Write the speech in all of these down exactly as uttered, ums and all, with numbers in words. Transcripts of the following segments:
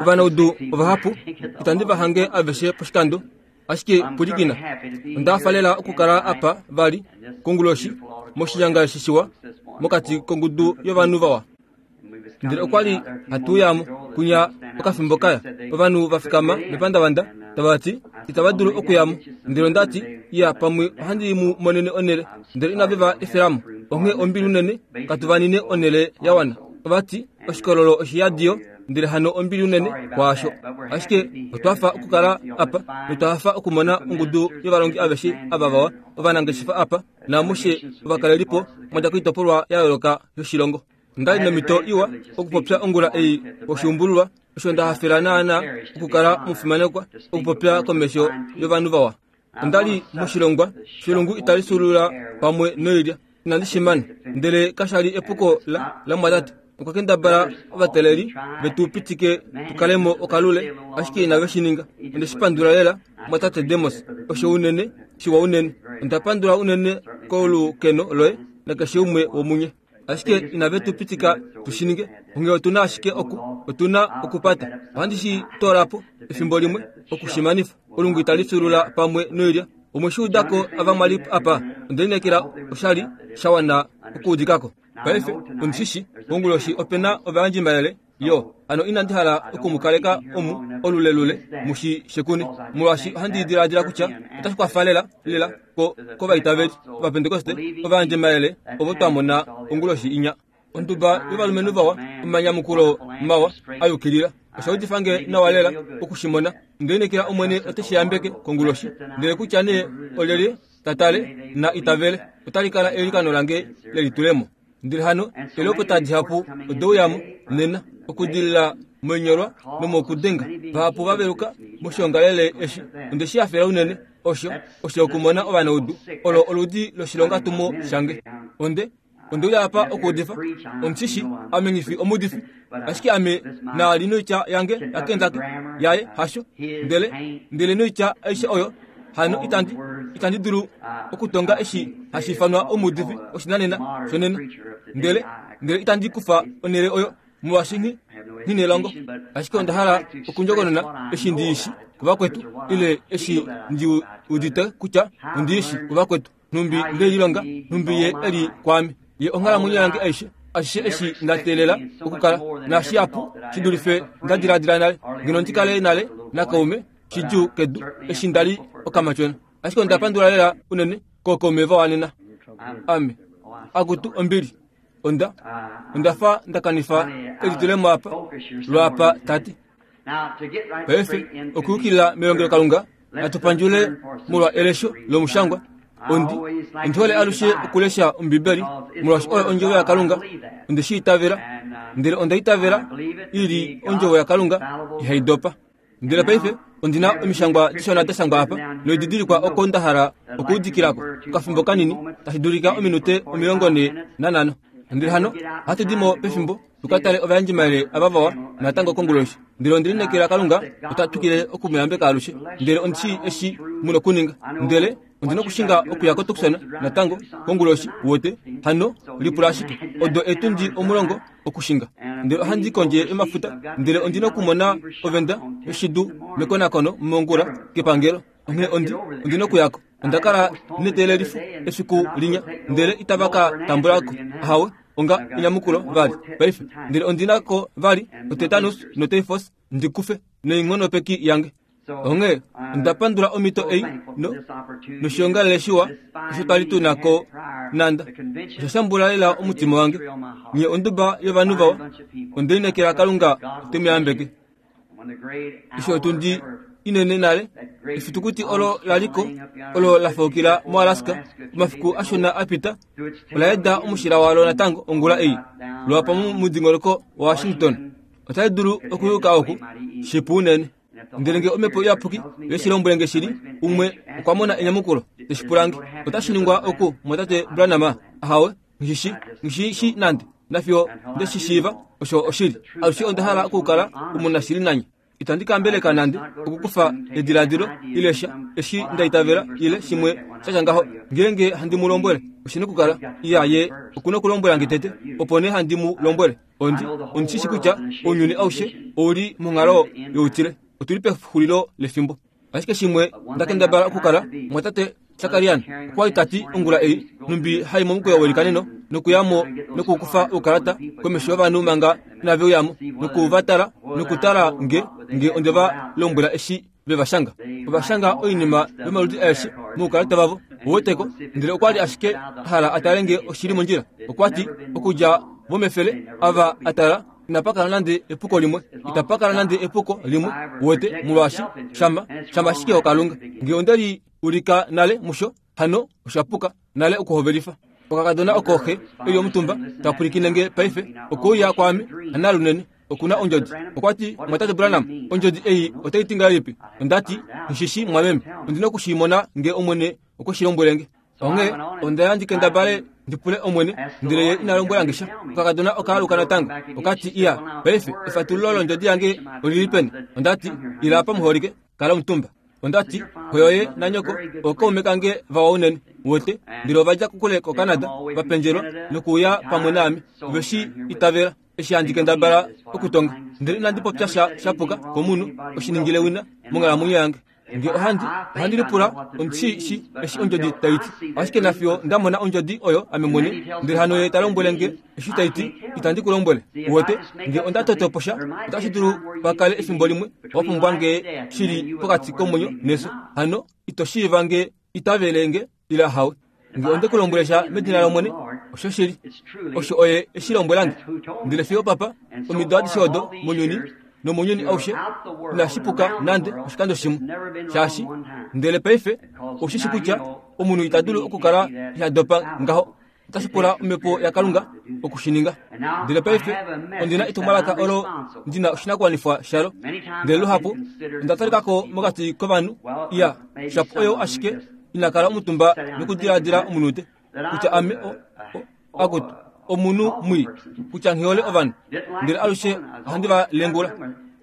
Ovanaudu ovahapu itandi va hange aveshe poshikando, ashike pwilikina. Onda hafa lela okukala apa vali konguloshi moshinyanga eshi shiwa mokati kongudu yovanhu vawa. Ndele okwa li hatu uyamo kunya okafimbo kaya. Ovanhu va fikama mepandavanda tava ti itava dulu okuyamo. Ndele onda ti iya pamwe ohandi mu monene onhele, ndele inave va efelamo. Onghee ombili unene katu va nine onhele ya wana. Ova ti oshikololo oshiyadiyo, ndele hano ombili unene kwaasho. Ashike otwa fa okukala apa notwa hafa okumona ongudu yovalongi aveshe ava vawa, ovanangeshefa apa naamushe ovakalelipo mwa dja koitopolwa ya yooloka yoshilongo. Onda li nomhito iwa okupopya ongula ei poshuumbululwa, osho nda hafela naana okukala omufimanekwa okupopya komesho yovanhu vawa. Onda li moshilongwa shelungu itali sulula pamwe noilya, inandi shi mana, ndele kasha li epuko la lamwatate. Okwa kendabala ovateleli vetu pitike tukalemo okalule, ashike inave shi ninga. Onde shi pandula lela mwatate Demos, osho unene shiwa unene. Onda pandula unene kolukeno loye nakeshe umwe womunye. Ashike inave tu pitika tu shi ninge, onghee otu na ashike oku otu na okupata. Ohandi shi toola po efimbo limwe okushimanifa. Olungu itali fyuulula pamwe noilya. Omwe shi udako ava mwa li apa, onde lineekela oshali sha wana okuudikako. Paife ondi shi konguloshi ope na ovayandjimayele yo, hano inandi hala okumukaleka omu olulelule mushi shekune, molwaashi ohandi diladila kutya otashi kwafa lela lela ko kovaitaveli Ovapentekoste ovayandjimayele ovo twa mona onguloshi inya. Onduba yovalumenhu vawa, omanyamukulo mawa a yukilila. Osha udifa nge nawa lela okushimona. Onde lineekela Omwene ote shi yambeke konguloshi, ndele kutya nee olyelye ta tale na itavele, otali kala eilikano lange lelitulemo. Ndele hano eelopota dihapu ode uyamo nena okudilila moinyolwa nomokudenga. Vahapu va veluka moshiongalele eshi. Onde shi hafela unene osho osho okumona ovanaudu. Olo oludi loshilongatumo shange. Onde onde uya apa okuudifa. Omushishi ame nghifi omuudifi, ashike ame naali noitya yange yaKentucky yaye hasho, ndele ndele noitya aishe oyo hano itandi itandi dulu okutonga eshi hashi ifanwa omuudifi oshinanena shonena, ndele ndele itandi kufa onhele oyo molwaashi nghi nghinelongo. Ashike onda hala okundjokonona eshi ndi shi kuvakwetu, ile eshi ndi udite kutya ondi shi kuvakwetu, nhumbi nde lilonga, nhumbi ye eli kwaame, ye onghalamwenyo yange aishe, ashishe eshi nda teelela okukala naashihapu shi dulife nda diladila nale, ngeno ndi kale nale nakaume shidjuu kedu eshi nda li okamatyona. Ashike onda pandula lela unene kookaume vawanena. Ame akutu ombili, onda onda fa nda kanifa elitulemo apa lwaapa tate. Paife okuyukilila melongelokalunga natu pandjule molwa elesho lomushangwa. Ondi ondi hole alushe okulesha Ombibeli molwaashi oyo ondjovo yaKalunga. Onde shi itavela, ndele onda itavela i li ondjovo yaKalunga ihai dopa. Ndele paife ondi na omishangwa dishona da shangwa apa noididilikwa oko nda hala okuudikilako okafimbo kanini, tashi dulika ominute omilongo nhee nanhano. Ndele hano ohatu di mo pefimbo tuka tale ovayandjimayele ava vawa natango konguloshi. Ndele onde lineekela Kalunga ota twikile okumuyambeka alushe. Ndele ondi shii eshi mu nokuninga. Ndele ondi nokushinga okuya koTucson natango konguloshi wote. Hano lipula ashike odo etundi omulongo okushinga. Ndele ohandi kondje yomafuta, ndele ondi nokumona ovenda yoshidu mekonakono mongula kepangelo. Onghee ondi ondi nokuyako. Onda kala neteelelifo efiku linya, ndele itava ka tambulako ahawe onga enyamukulo vali paife. Ndele ondi na ko vali otetanus notyphus ndi kufe noinghonopeki yange. Onghee onda pandula omhito ei no noshiongalele shiwa osho twali tu na ko nanda. Osha shambula lela omutima wange. Nye onduba yovanhu vawa, onde lineekela Kalunga ote mu yambeke. Eshi otundi inene nale, efitukuti olo laliko olo la faukila moAlaska omafiku ashona a pita, ola eda omushila walo natango ongula ei lwapa momudingonoko waWashington. Otali dulu okuyuka oku shipu unene. Ndele nge omhepo iyapuki ye shi lombwele nge shili, umwe okwa mona enyamukulo teshi pula nge, otashi ningwa oku mwatate Branham? Ahawe, nghishi nghishi shi nande nafiyo nde shi shiiva osho oshili. Alushe onda hala okukala omunashili nanye. Itandi kambeleka nande okukufa ediladilo ile sha eshi nda itavela ile shimwe shatya ngaho. Ngeenge handi mu lombwele, oshina okukala iya ye okuna okulombwela nge tete, opo nee handi mu lombwele. Ondi ondishishi kutya ounyuni aushe ouli monghalo youtile. Otuli pexulilo lefimbo. Ashike shimwe nda kendabala okukala mwatate Shakarian okwa li tati ongula ei numbi hai momukweyo welikaneno nokuyamo nokukufa oukalata komesho yovanhu manga inave uyamo nokuvatala nokutala nge nge onde va lombwela eshi veva shanga. Ova shanga oinima yomaludi aeshe moukalata vavo woweteko, ndele okwa li ashike a hala a tale nge oshili mondjila. Okwa ti okudja vomefele ava a tala inapa kala nande epuko limwe, itapa kala nande epuko limwe wete, molwaashi shama shama ashike oKalunga. Nge onde li ulika nale musho, hano oshapuka nale okuhovelifa. Okakadona oko xe eli omutumba ta pwilikine nge paife okouya kwaame hanalunene okuna ondjodi. Okwa ti, mwatate Branham, ondjodi ei otai ti ngahelipi? Onda ti, Nshishi mwameme, ondina okushimona nge Omwene okwe shi lombwele nge. Onghee onda ya ndi kendabale ndi pule Omwene, ndele ye ina lombwela nge sha. Okakadona oka aluka natango, oka ti, iya, paife efatululo londjodi yange olili peni? Onda ti, ila apa muholike, kala omutumba. Onda ti, xo yoye nanyoko ookaume kange vawa unene wete, ndele ova dja kokule koCanada va pendjelwa nokuuya pamwe naame. Ove shi itavela eshi handi kendabala okutonga, ndele inandi popya sha shapuka komunhu oshiningile wina monghalamwenyo yange. Nge ohandi ohandi lipula omushi shi eshi ondjodi tai ti, ashike nafiyo nda mona ondjodi oyo ame mwene, ndele hano ye ta lombwele nge eshi tai ti, itandi ku lombwele. Uwete, nge onda toto po sha, otashi dulu pa kale efimbo limwe wa pumbwa nge shili pokati komwenyo nefyo, hano ito shiiva nge itavele nge ile ahawe. Nge onde ku lombwele sha medina lOmwene, osho shili osho oye eshi lombwela nge. Ndele fiyo papa omido adishe odo mounyuni nomounyuni aushe inashi puka nande oshikando shimwe shaashi. Ndele paife oshishi kutya omunhu ita dulu okukala iha dopa ngaho, otashi pula omhepo yaKalunga okushininga. Ndele paife ondina etumwalaka olo ndina oshinakuwanifwa shalo, ndele luhapu onda talikako mokati kovanhu iya shapu oyo ashike ina kala omutumba nokudiladila omunute kutya ame o, o, akutu omunhu mwii, kutya nghihole ovanhu, ndele alushe ohandi va lengula.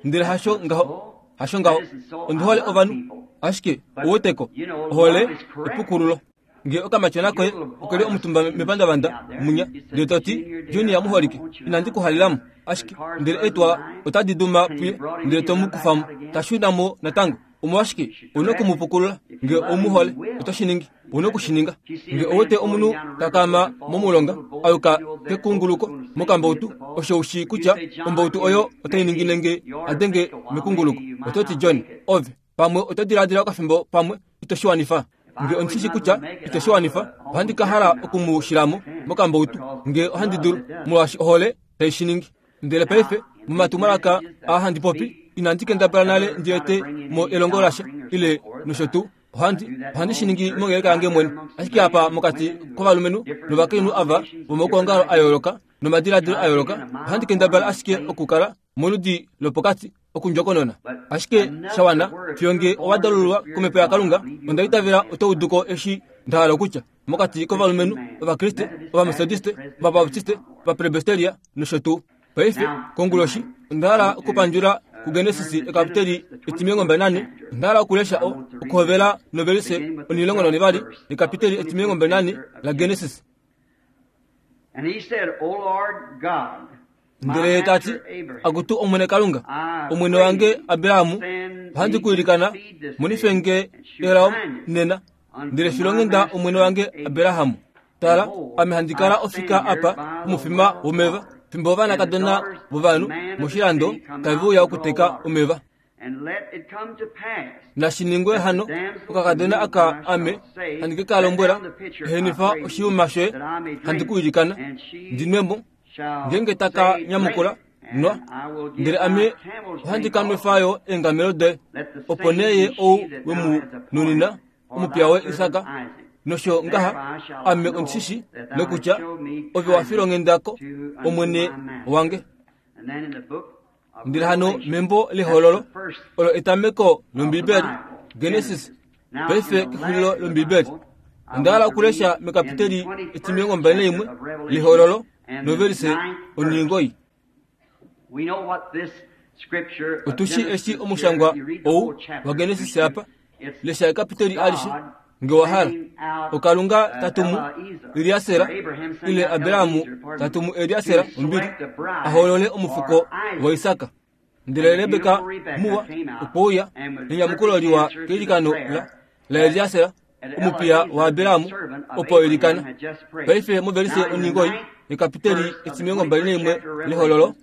Ndele hasho ngaho, hasho ngaho, ondi hole ovanhu, ashike oweteko ohole epukululo. Nge okamatyona koye okeli omutumba mepandavanda munya, ndele to ti, Junior muholike, inandi ku halelamo, ashike ndele eetwa otadi duma puye, ndele to mu kufamo, ta shuna mo natango. Omolwashike ouna okumupukulula? Nge oumuhole, oto shi ningi, ouna okushininga. Nge owete omunhu ta kaama momulonga a yuka kekunguluko mokambautu, osho ushi kutya ombautu oyo otai ningine nge a denge mekunguluko, oto ti, John, ove pamwe oto diladila okafimbo pamwe ito shi wanifa. Nge ondishishi kutya ito shi wanifa, ohandi ka hala okumu shilamo mokambautu nge ohandi dulu, molwaashi ohole tai shi ningi. Ndele paife momatumwalaka aa handi popi, inandi kendabala nale ndi ete mo elongo lasha ile nosho tuu. Ohandi ohandi shi ningi mongeleka yange mwene, ashike apa mokati kovalumenhu novakainhu ava vomaukwaongalo a yooloka nomadiladilo a yooloka, ohandi kendabala ashike okukala moludi lopokati okundjokonona. Ashike shawana fiyo nge owa dalululwa komhepo yaKalunga, onda itavela oto uduko eshi nda hala okutya mokati kovalumenhu Ovakriste, Ovametodiste, Ovabaptiste, Ovapresbiteria nosho tuu. Paife konguloshi onda hala okupandjula kuGenesis ekapiteli etimilongo mbali nane. Onda hala okulesha o okuhovela novelise onilongo nonivali ekapiteli etimilongo mbali nane laGenesis. Ndele ye ta ti, akutu Omwene Kalunga, omwene wange Abrahamu, ohandi ku ilikana, monife nge elao nena, ndele filonghenda omwene wange Abrahamu. Tala, ame handi kala ofika apa pomufima womeva, fimbo ovanakadona vovanhu moshilando tave uya okuteka omeva. Nashi ningwe hano, okakadona aka ame handi ke ka lombwela, ehenifa oshiyuma shoye, handi ku ilikana, ndi nwe mo. Ngeenge taka nyamukula, nwa, ndele ame ohandi ka nwefa yo eengamelo doye. Opo nee ye ou we mu nunina omupiya woye Isak, nosho ngaha ame ondishishi nokutya ove wa filonghendako omwene wange. Ndele hano membo lehololo olo etameko lOmbibeli, Genesis, paife kexulilo lOmbibeli. Onda hala okulesha mekapiteli etimilongo mbali naimwe lehololo novelise oningoi. Otushi eshi omushangwa ou waGenesis apa lesha ekapiteli alishe nge wahala. Okalunga tatumu Eliasera ile Abrahamu tatumu Eliasera ombili ahoolole omufuko waIsaka. Ndele Rebeka muwa okwa nenyamukulo liwa keilikano la la Eliasera omupiya waAbrahamu opo eilikana. Paife movelise oningoi ekapiteli etimilongo mbali naimwe lehololo.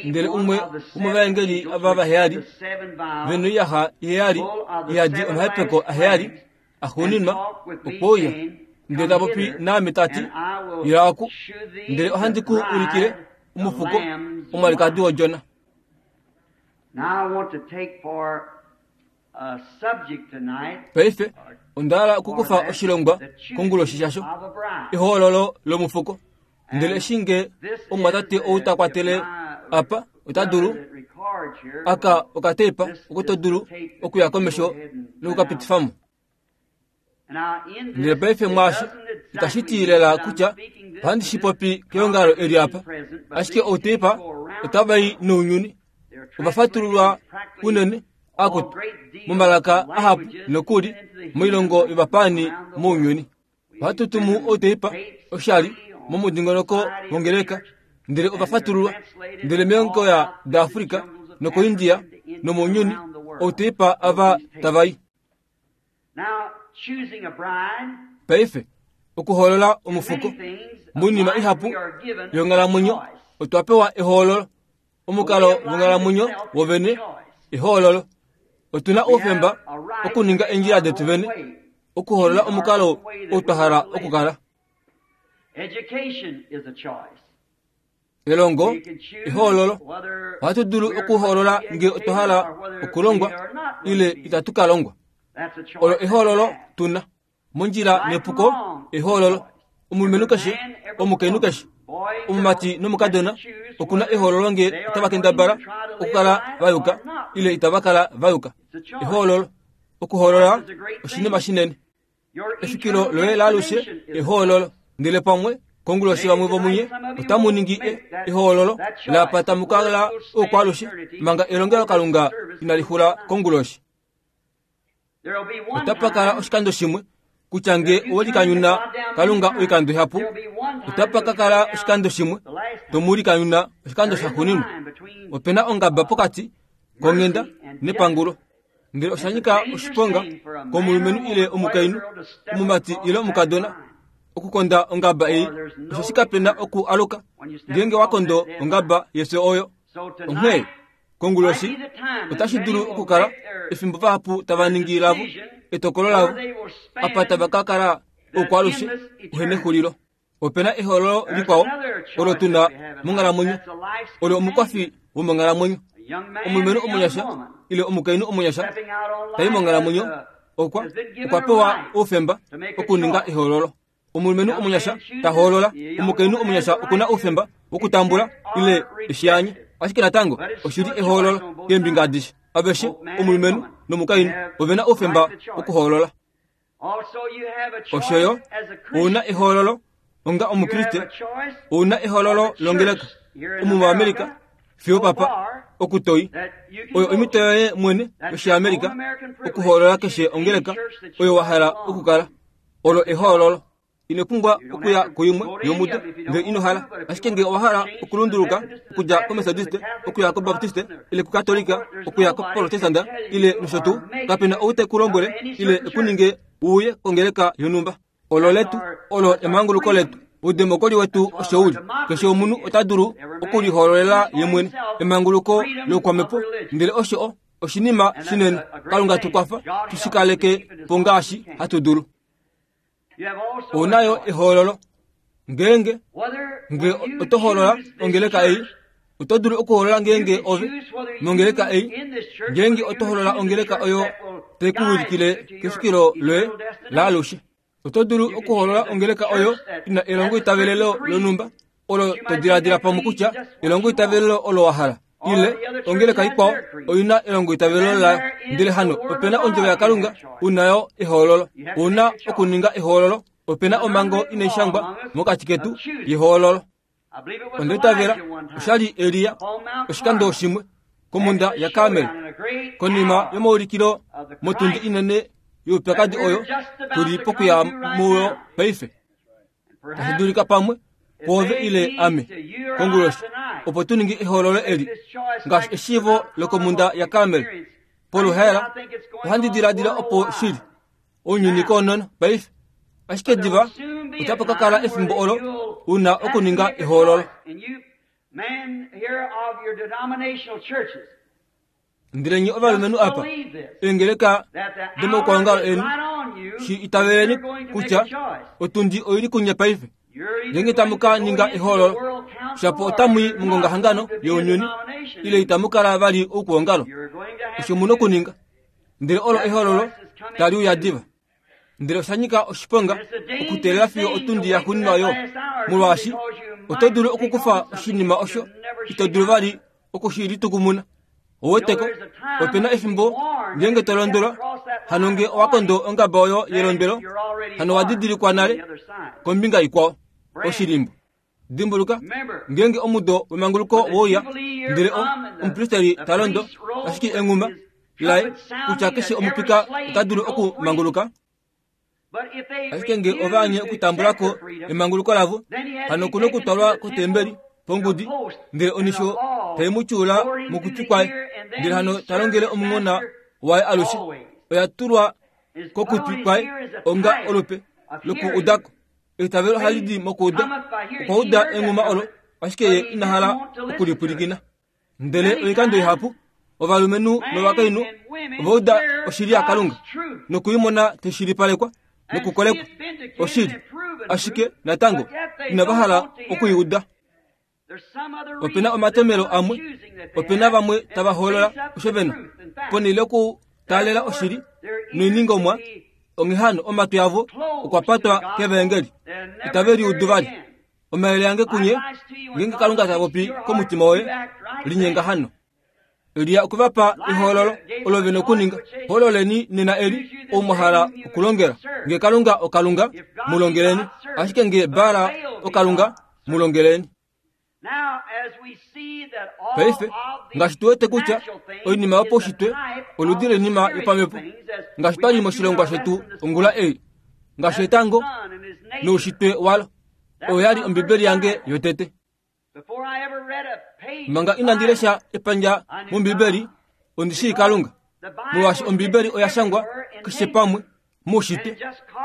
Ndele umwe womovaengeli ava vaheyali venoiyaxa iheyali ihadi omahepeko aheyali axuuninwa okweuya ndele tapopi naame tati, ila oku, ndele ohandi ku ulikile omufuko omwalikadi wodjona. Paife onda hala okukufa oshilongwa konguloshi shasho, ehoololo lomufuko. Ndele eshi nge omumwatate ou ta kwatele apa ota dulu aka okateipa oko to dulu okuya komesho nokukapitifamo. Ndele paife mwaashi itashi ti lela kutya ohandi shi popi keongalo eli apa, ashike outeipa otava i nounyuni ova fatululwa unene akutu momalaka ahapu nokuli moilongo yovapaani mounyuni. Ohatu tumu outeipa oshali momudingonoko wongeleka, ndele ova fatululwa ndele meongo ya daAfrika nokoIndia nomounyuni outeipa ava tava i. Paife okuhoolola omufuko moinima ihapu yonghalamwenyo otwa pewa ehoololo. Omukalo wonghalamwenyo wovene ehoololo. Otuna oufemba okuninga eendjila detu vene, okuhoolola omukalo ou twa hala okukala. Elongo ehoololo. Ohatu dulu okuhoolola nge otwa hala okulongwa ile itatu ka longwa. Olo ehoololo tuna. Mondjila nepuko ehoololo. Omulumenhu keshe, omukainhu keshe, omumati nomukadona okuna ehoololo nge otava kendabala okukala va yuka ile itava kala va yuka. Ehoololo. Okuhoolola oshinima shinene. Efikilo loye laalushe ehoololo. Ndele pamwe konguloshi vamwe vomunye otamu ningi ehoololo lapa tamu kala oukwalushe manga elongelo Kalunga inali xula konguloshi. Otapa kala oshikando shimwe kutya nge owelikanyuna Kalunga oikando ihapu, otapa ka kala oshikando shimwe tomulikanyuna oshikando shaxuuninwa. Opena ongaba pokati konghenda nepangulo. Ndele osha nyika oshiponga komulumenhu ile omukainhu, omumati ile omukadona okukonda ongaba ei, osheshi kapena oku aluka ngeenge wa kondo ongaba yefyo oyo. Onghee konguloshi otashi dulu okukala efimbo vahapu tava ningi lavo etokolo lavo apa tava ka kala oukwalushe uhenexulilo. Opena ehoololo likwao olo tuna monghalamwenyo, olo omukwafi womonghalamwenyo. Omulumenhu omunyasha ile omukainhu omunyasha tai monghalamwenyo okwa okwa pewa oufemba okuninga ehoololo. Omulumenhu omunyasha ta hoolola, omukainhu omunyasha okuna oufemba wokutambula ile eshianye, ashike natango oshili ehoololo keembinga adishe. Aveshe omulumenhu nomukainhu ovena oufemba wokuhoolola. Oshoyo ouna ehoololo onga omukriste, ouna ehoololo longeleka omu muAmerika fiyo papa okutoi oyo omhito yoye mwene yoshiAmerika okuhoolola keshe ongeleka oyo wa hala okukala. Olo ehoololo. Ino pumbwa okuya kuimwe yomudo ngee ino hala, ashike ngee owa hala okulunduluka okudja koMethodiste okuya koBaptiste ile kuKatolika okuya koProtestanta ile nosho tuu, kapena ou te ku lombwele ile ekuninge uye kongeleka yonhumba. Olo letu, olo emanguluko letu. Oudemokoli wetu osho uli. Keshe omunhu ota dulu okulihoololela ye mwene emanguluko loukwamhepo, ndele osho oshinima shinene. Kalunga tu kwafa tushikaleke po ngaashi hatu dulu. Ouna yo ehoololo. Ngeenge nge oto hoolola ongeleka ei, oto dulu okuhoolola ngeenge ove mongeleka ei, ngeenge oto hoolola ongeleka oyo tai ku wilikile kefikilo loye laalushe. Oto dulu okuhoolola ongeleka oyo ina elongo itavelelo lonhumba olo to diladila pamwe kutya elongo itavelelo olo wa hala, ile ongeleka ikwao oina elongo itavelelo layo. Ndele hano opena ondjovo yaKalunga, unayo ehoololo. Ouna okuninga ehoololo. Opena omhango inai shangwa mokati ketu yehoololo. Onda itavela osha li Elia oshikando shimwe komhunda yaKarmel, konima yomaulikilo motundi inene youpyakadi oyo tuli pokuya muyo paife. Tashi dulika pamwe kwoove ile ame konguloshi opo tu ninge ehoololo eli ngaashi eshiivo lokomhunda yaKarmel poluhaela. Ohandi diladila opo shili ounyuni koonono paife, ashike diva otapa ka kala efimbo olo una okuninga ehoololo. Ndele nye ovalumenhu apa eengeleka domaukwaongalo eni, shi itaveleni kutya otundi oili kunye paife. Ngeenge tamu ka ninga ehoololo, shapo otamu i mongongahangano younyuni ile itamu kala vali oukwaongalo. Osho mu na okuninga, ndele olo ehoololo tali uya diva. Ndele osha nyika oshiponga okuteelela fiyo otundi yaxuuninwa oyo, molwaashi oto dulu okukufa oshinima osho ito dulu vali oku shi litukumuna. Oweteko, ope na efimbo ngeenge to londwelwa, hano nge owa kondo ongaba oyo yelondwelo, hano owa didilikwa nale kombinga ikwao, oshilimbo. Dimbuluka, ngeenge omudo wemanguluko wouya, ndele omupristeli ta londo ashike enghuma laye kutya keshe omupika ota dulu okumanguluka, ashike nge ova anye okutambula ko emanguluko lavo, hano okuna okutwalwa kotembeli pongudi, ndele onisho tai mu tyuula mokutwi kwaye, ndele hano ta longele omunghona waye alushe. Oya tulwa kokutwi kwaye onga olupe lokuudako. Eitavelo ohali di mokuuda. Okwa uda enghuma olo, ashike ye ina hala okulipwilikina. Ndele oikando ihapu ovalumenhu novakainhu ova uda oshili yaKalunga nokuimona taishilipalekwa nokukolekwa oshili, ashike natango inava hala okuiuda. Ope na omatomelo amwe, ope na vamwe tava hoolola osho vena ponhele yokutaalela oshili noiningomwa. Onghee hano omatwi avo okwa patwa kevaengeli, itave liudu vali. Omayele ange kunye, ngeenge Kalunga ta popi komutima woye, linyenga hano. Elia okwe va pa ehoololo olo vena okuninga. Hoololeni nena eli ou mwa hala okulongela. Nge Kalunga oKalunga, mu longeleni, ashike nge Baal oKalunga, mu longeleni. Paife ngaashi tu wete kutya oinima yopaushitwe oludi loinima yopamhepo, ngaashi twali moshilongwa shetu ongula ei, ngaashi etango noushitwe walo, oyo yali Ombibeli yange yotete. Manga inandi lesha epandja mOmbibeli, ondi shii Kalunga, molwaashi Ombibeli oya shangwa keshe pamwe moushitwe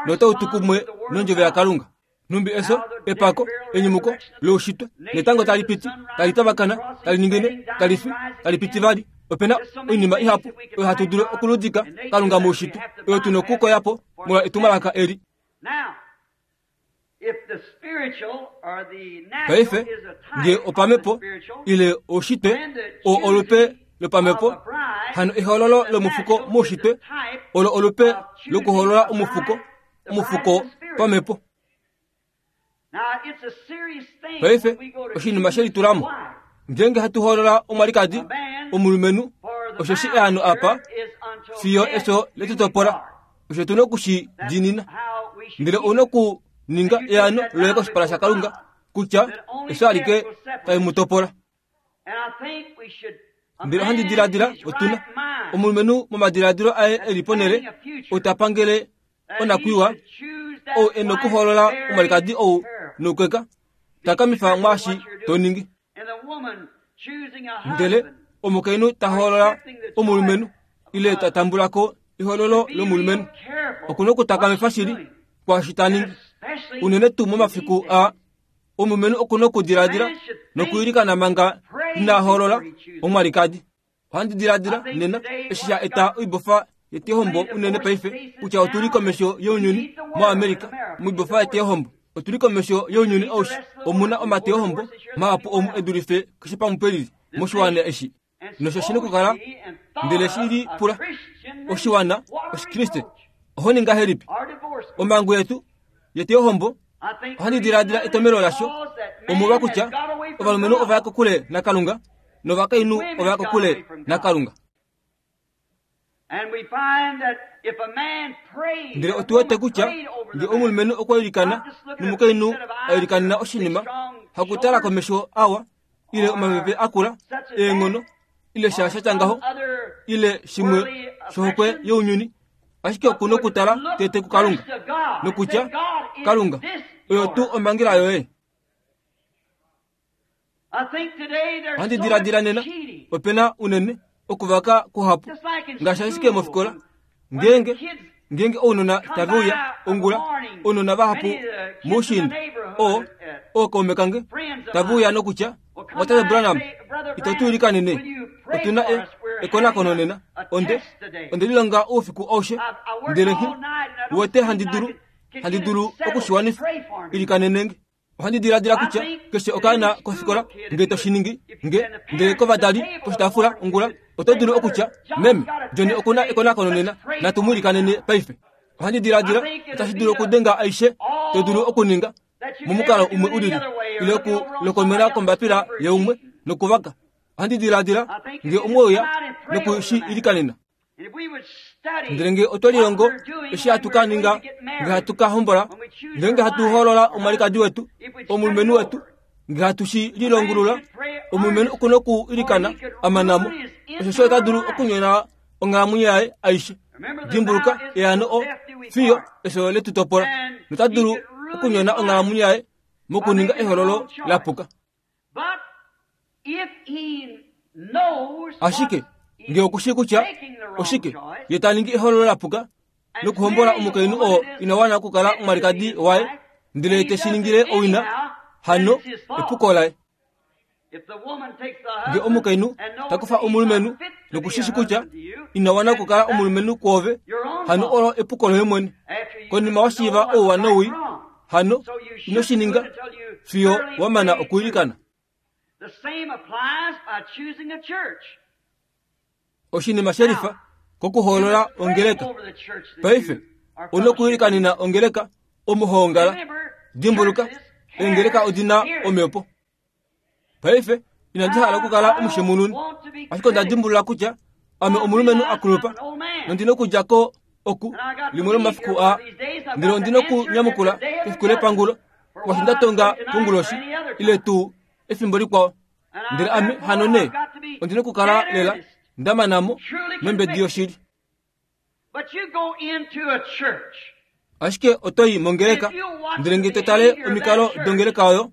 notau tu kumwe nondjovo yaKalunga. Numbi eso, epako, enyumuko loushitwe, netango tali piti, tali tavakana, tali ningine, tali fi, tali piti vali. Ope na oinima ihapu oyo hatu dulu okuludika Kalunga moushitwe, oyo tuna okukoya po molwa etumwalaka eli. Paife nge opamhepo ile oushitwe oo olupe lopamhepo, hano ehoololo lomufuko moushitwe olo olupe lokuhoolola omufuko, omufuko pamhepo. Paife oshinima she litulamo ngeenge hatu hoolola omwalikadi omulumenhu, osheshi eano apa fiyo efyo letutopola, osho tuna oku shi diinina. Ndele ouna okuninga eano loye koshipala shaKalunga kutya efyo alike tali mu topola. Ndele ohandi diladila otuna omulumenhu momadiladilo aye eli ponhele ou ta pangele onakwiiwa, ou e na okuhoolola omwalikadi ou noukeka, takamifa mwaashi to ningi. Ndele omukainhu ta hoolola omulumenhu ile ta tambula ko ehoololo lomulumenhu, okuna okutakamifa shili kwaashi ta ningi, unene tuu momafiku aa. Omulumenhu okuna okudiladila nokwiilikana manga ina hoolola omwalikadi. Ohandi diladila nena eshi sha eta oibofa yeteyohombo unene paife, kutya otuli komesho younyuni moAmerica moibofa yeteyohombo. Otuli komesho younyuni aushe. Omuna omateyohombo mahapu omu e dulife keshe pamwe pelili moshiwana eshi. Nosho shina okukala, ndele shi li pula oshiwana Oshikriste, oho ningi ngahelipi? Omhango yetu yeteyohombo, ohandi diladila etomelo lasho omolwa kutya ovalumenhu ova ya kokule naKalunga novakainhu ova ya kokule naKalunga. Ndele otu wete kutya nge omulumenhu okwa ilikana nomukainhu a ilikanena oshinima, hakutala komesho awa ile omapepe akula eenghono ile sha shatya ngaho ile shimwe shohokwe younyuni, ashike oku nokutala tete kuKalunga nokutya Kalunga oyo tuu omhangela yoye. Ohandi diladila nena opena unene okuvaka kuhapu ngaashi ashike mofikola ngeenge ngeenge ounona tave uya ongula, ounona vahapu moushiinda oo ookaume kange tave uya nokutya Tate Branham, ito tu ilikanene, otuna e ekonakono nena, onde onde lilonga oufiku aushe ndele nghi wete handi dulu handi dulu okushiwanifa, ilikanenenge. Ohandi diladila kutya keshe okaana kofikola nge to shi ningi nge ndele kovadali poshitaafula ongula oto dulu okutya meme Johnny okuna ekonakono nena, natu mu ilikanene paife. Ohandi diladila otashi dulu okudenga aishe to dulu okuninga momukalo umwe ulili ile okulokomela kombapila yeumwe nokuvaka. Ohandi diladila nge umwe uya noku shi ilikanena. Ndele nge otwe lilongo eshi hatu ka ninga nge hatu ka hombola, ngeenge hatu hoolola omwalikadi wetu, omulumenhu wetu, nge hatu shi lilongulula, omulumenhu oku noku ilikana a mana mo, osho ota dulu okunyona onghalamwenyo yaye aishe. Dimbuluka eano o fiyo efyo letu topola, nota dulu okunyona onghalamwenyo yaye mokuninga ehololo lapuka. Ashike nge okushi kutya oshike ye ta ningi ehololo lapuka nokuhombola omukainhu oo ina wana okukala omwalikadi waye, ndele te shi ningile owina, hano epuko laye. Nge omukainhu ta kufa omulumenhu nokushishi kutya ina wana okukala omulumenhu kwoove, hano olo epuko loye mwene. Konima wa shiiva ouwa nowii, hano ino shi ninga fiyo wa mana okuilikana. Oshinima shelifa kokuhoolola ongeleka. Paife ouna okuilikanena ongeleka omo ho ongala. Dimbuluka, eengeleka odina omhepo. Paife inandi hala okukala omushemununi, ashike onda dimbulula kutya ame omulumenhu akulupa nondina okudja ko oku limwe lomafiku aa, ndele ondina okunyamukula kefiku lepangulo kwashi nda tonga konguloshi ile tuu efimbo likwao. Ndele ame hano nee ondina okukala lela nda mana mo nombedi yoshili. Ashike oto i mongeleka, ndele nge to tale omikalo dongeleka oyo,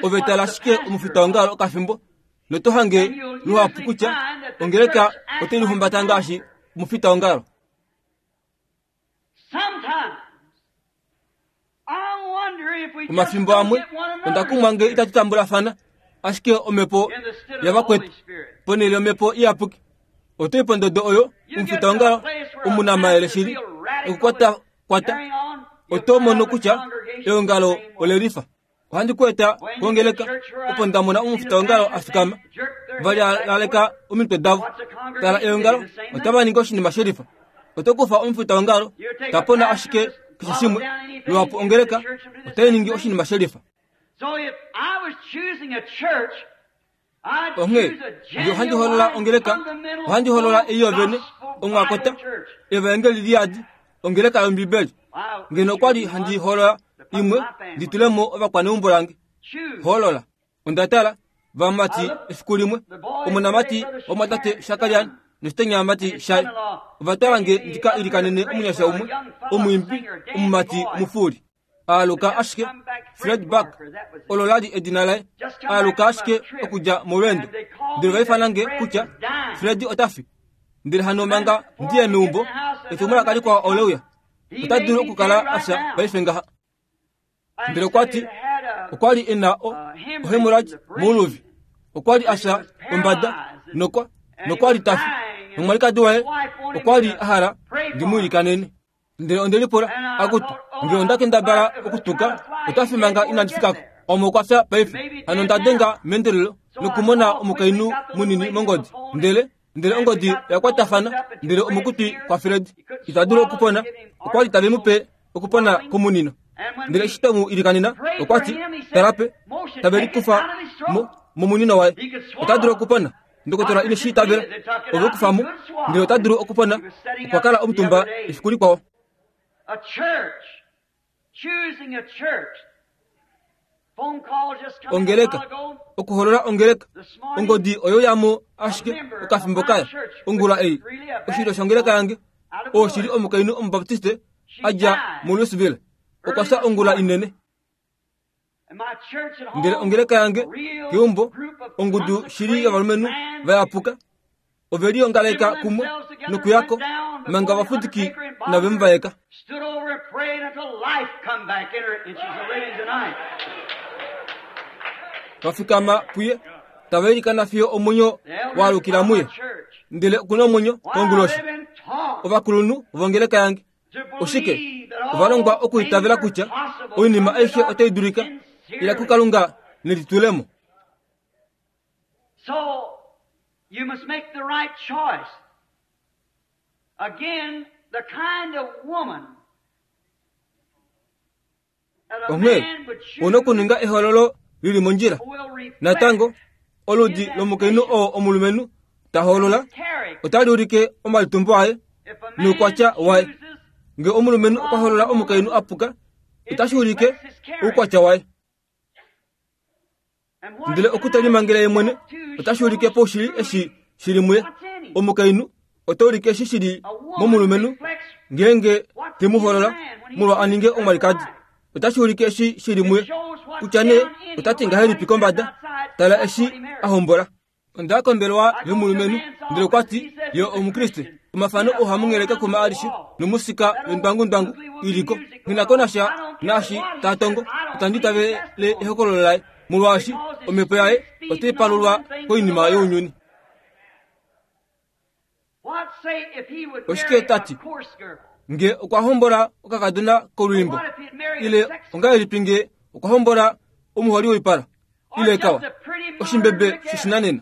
ove tala ashike omufitaongalo okafimbo noto hange luhapu kutya ongeleka otai lihumbata ngaashi omufitaongalo. Omafimbo amwe onda kumwa nge itatu tambulafana ashike omhepo yavakwetu ponhele yomhepo iyapuki. Oto i pondodo oyo omufitaongalo omunamayele shili okukwata kwata, oto mono kutya eongalo ole lifa. Ohandi ku eta kongeleka opo nda mona omufitaongalo a fikama, va laleka omitwe davo. Tala eongalo otava ningi oshinima shelifa. Oto kufa omufitaongalo ta pona ashike keshe shimwe, luhapu ongeleka otai ningi oshinima shelifa. Onghee nge ohandi hoolola ongeleka, ohandi hoolola ei yovene, omwakota, evaengeli liyadi, ongeleka yOmbibeli. Ngeno okwali handi hoolola imwe ndi tule mo ovakwaneumbo lange. Hoolola. Onda tala vamati efiku limwe, omonamati womwatate Shakarian noshitenyamati shaye ova twala nge ndika ilikanene omunyasha umwe, omwiimbi, omumati omufuuli. Aaluka ashike Fred Buck, olo lali edina laye, aaluka ashike okudja molweendo. Ndele ova ifana nge kutya Fred ota fi. Ndele hano manga ndiye meumbo, etumwalaka likwao ole uya. Ota dulu okukala afya paife ngaha. Ndele okwa ti okwa li e na o ohemorrhage mouluvi. Okwa li afya ombada nokwa nokwa li ta fi. Nomwalikadi waye okwa li a hala ndi mu ilikanene. Ndele onde lipula, akutu, nge onda kendabala okutuka, ota fi manga inandi fikako. Omo okwa fya paife. Hano onda denga meendelelo nokumona omukainhu munini mongodi. Ndele ndele ongodi oya kwatafana, ndele omokutwi kwaFred ita dulu okupona. Okwa li tave mu pe okupona komunino. Ndele eshi twe mu ilikanena, okwa ti, tala pe, tave likufa mo momunino waye. Ota dulu okupona. Ndokotola ine shi itavela ove kufa mo ndele ota dulu okupona. Okwa kala omutumba efiku likwao. Ongeleka okuholola ongeleka ongodi oyo yamo ashike okafimbo kaya ongula ei oshilyo shongeleka yange oshili omukainhu omubaptiste adja muLouisville okwa fya ongula inene. Ndele ongeleka yange keumbo ongudu shili yovalumenhu vayapuka ove liongaleka kumwe nokuyako manga vafudiki nave muvaeka. Vafikama puye tava ilikana fiyo omwenyo waalukila muye ndele okuna omwenyo konguloshi. Ovakulunhu vongeleka yange oshike ovalongwa okuitavela kutya oinima aishe otai dulika ila kuKalunga nelitulemo. So you must make the right choice. Again, the kind of woman that a Onghee man would una choose okuninga ehololo lili mondjila. will reflect Natango oludi lomukainhu oo omulumenhu ta hoolola character. otali ulike omalitumbo aye If a man noukwatya waye. chooses Nge omulumenhu okwa hoolola omukainhu apuka otashi ulike oukwatya waye. and what Ndele okutelimangela ye mwene otashi ulike poushili eshi shili muye. Omukainhu ota ulike eshi shili a woman momulumenhu reflects ngeenge te mu hoolola molwa a ninge omwalikadi. Otashi ulike eshi shili muye kutya nee ota ti ngahelipi kombada tala eshi a hombola. Onda kombelwa yomulumenhu ndele okwa ti ye omukriste. Omafano ohamungeleka kuma alishe nomusika yondwangundwangu iliko. Nghina ko nasha naashi ta tongo otandi itavele ehokololo laye molwaashi omhepo yaye otai palulwa koinima younyuni. What say if he would Oshike marry a tati? coarse girl? Nge okwa hombola okakadona kolwiimbo What if he'd marry a ile sex ongahelipi nge okwa hombola omuholi woipala or ile just kawa a pretty modern oshimbebe Ricketta? shoshinanena.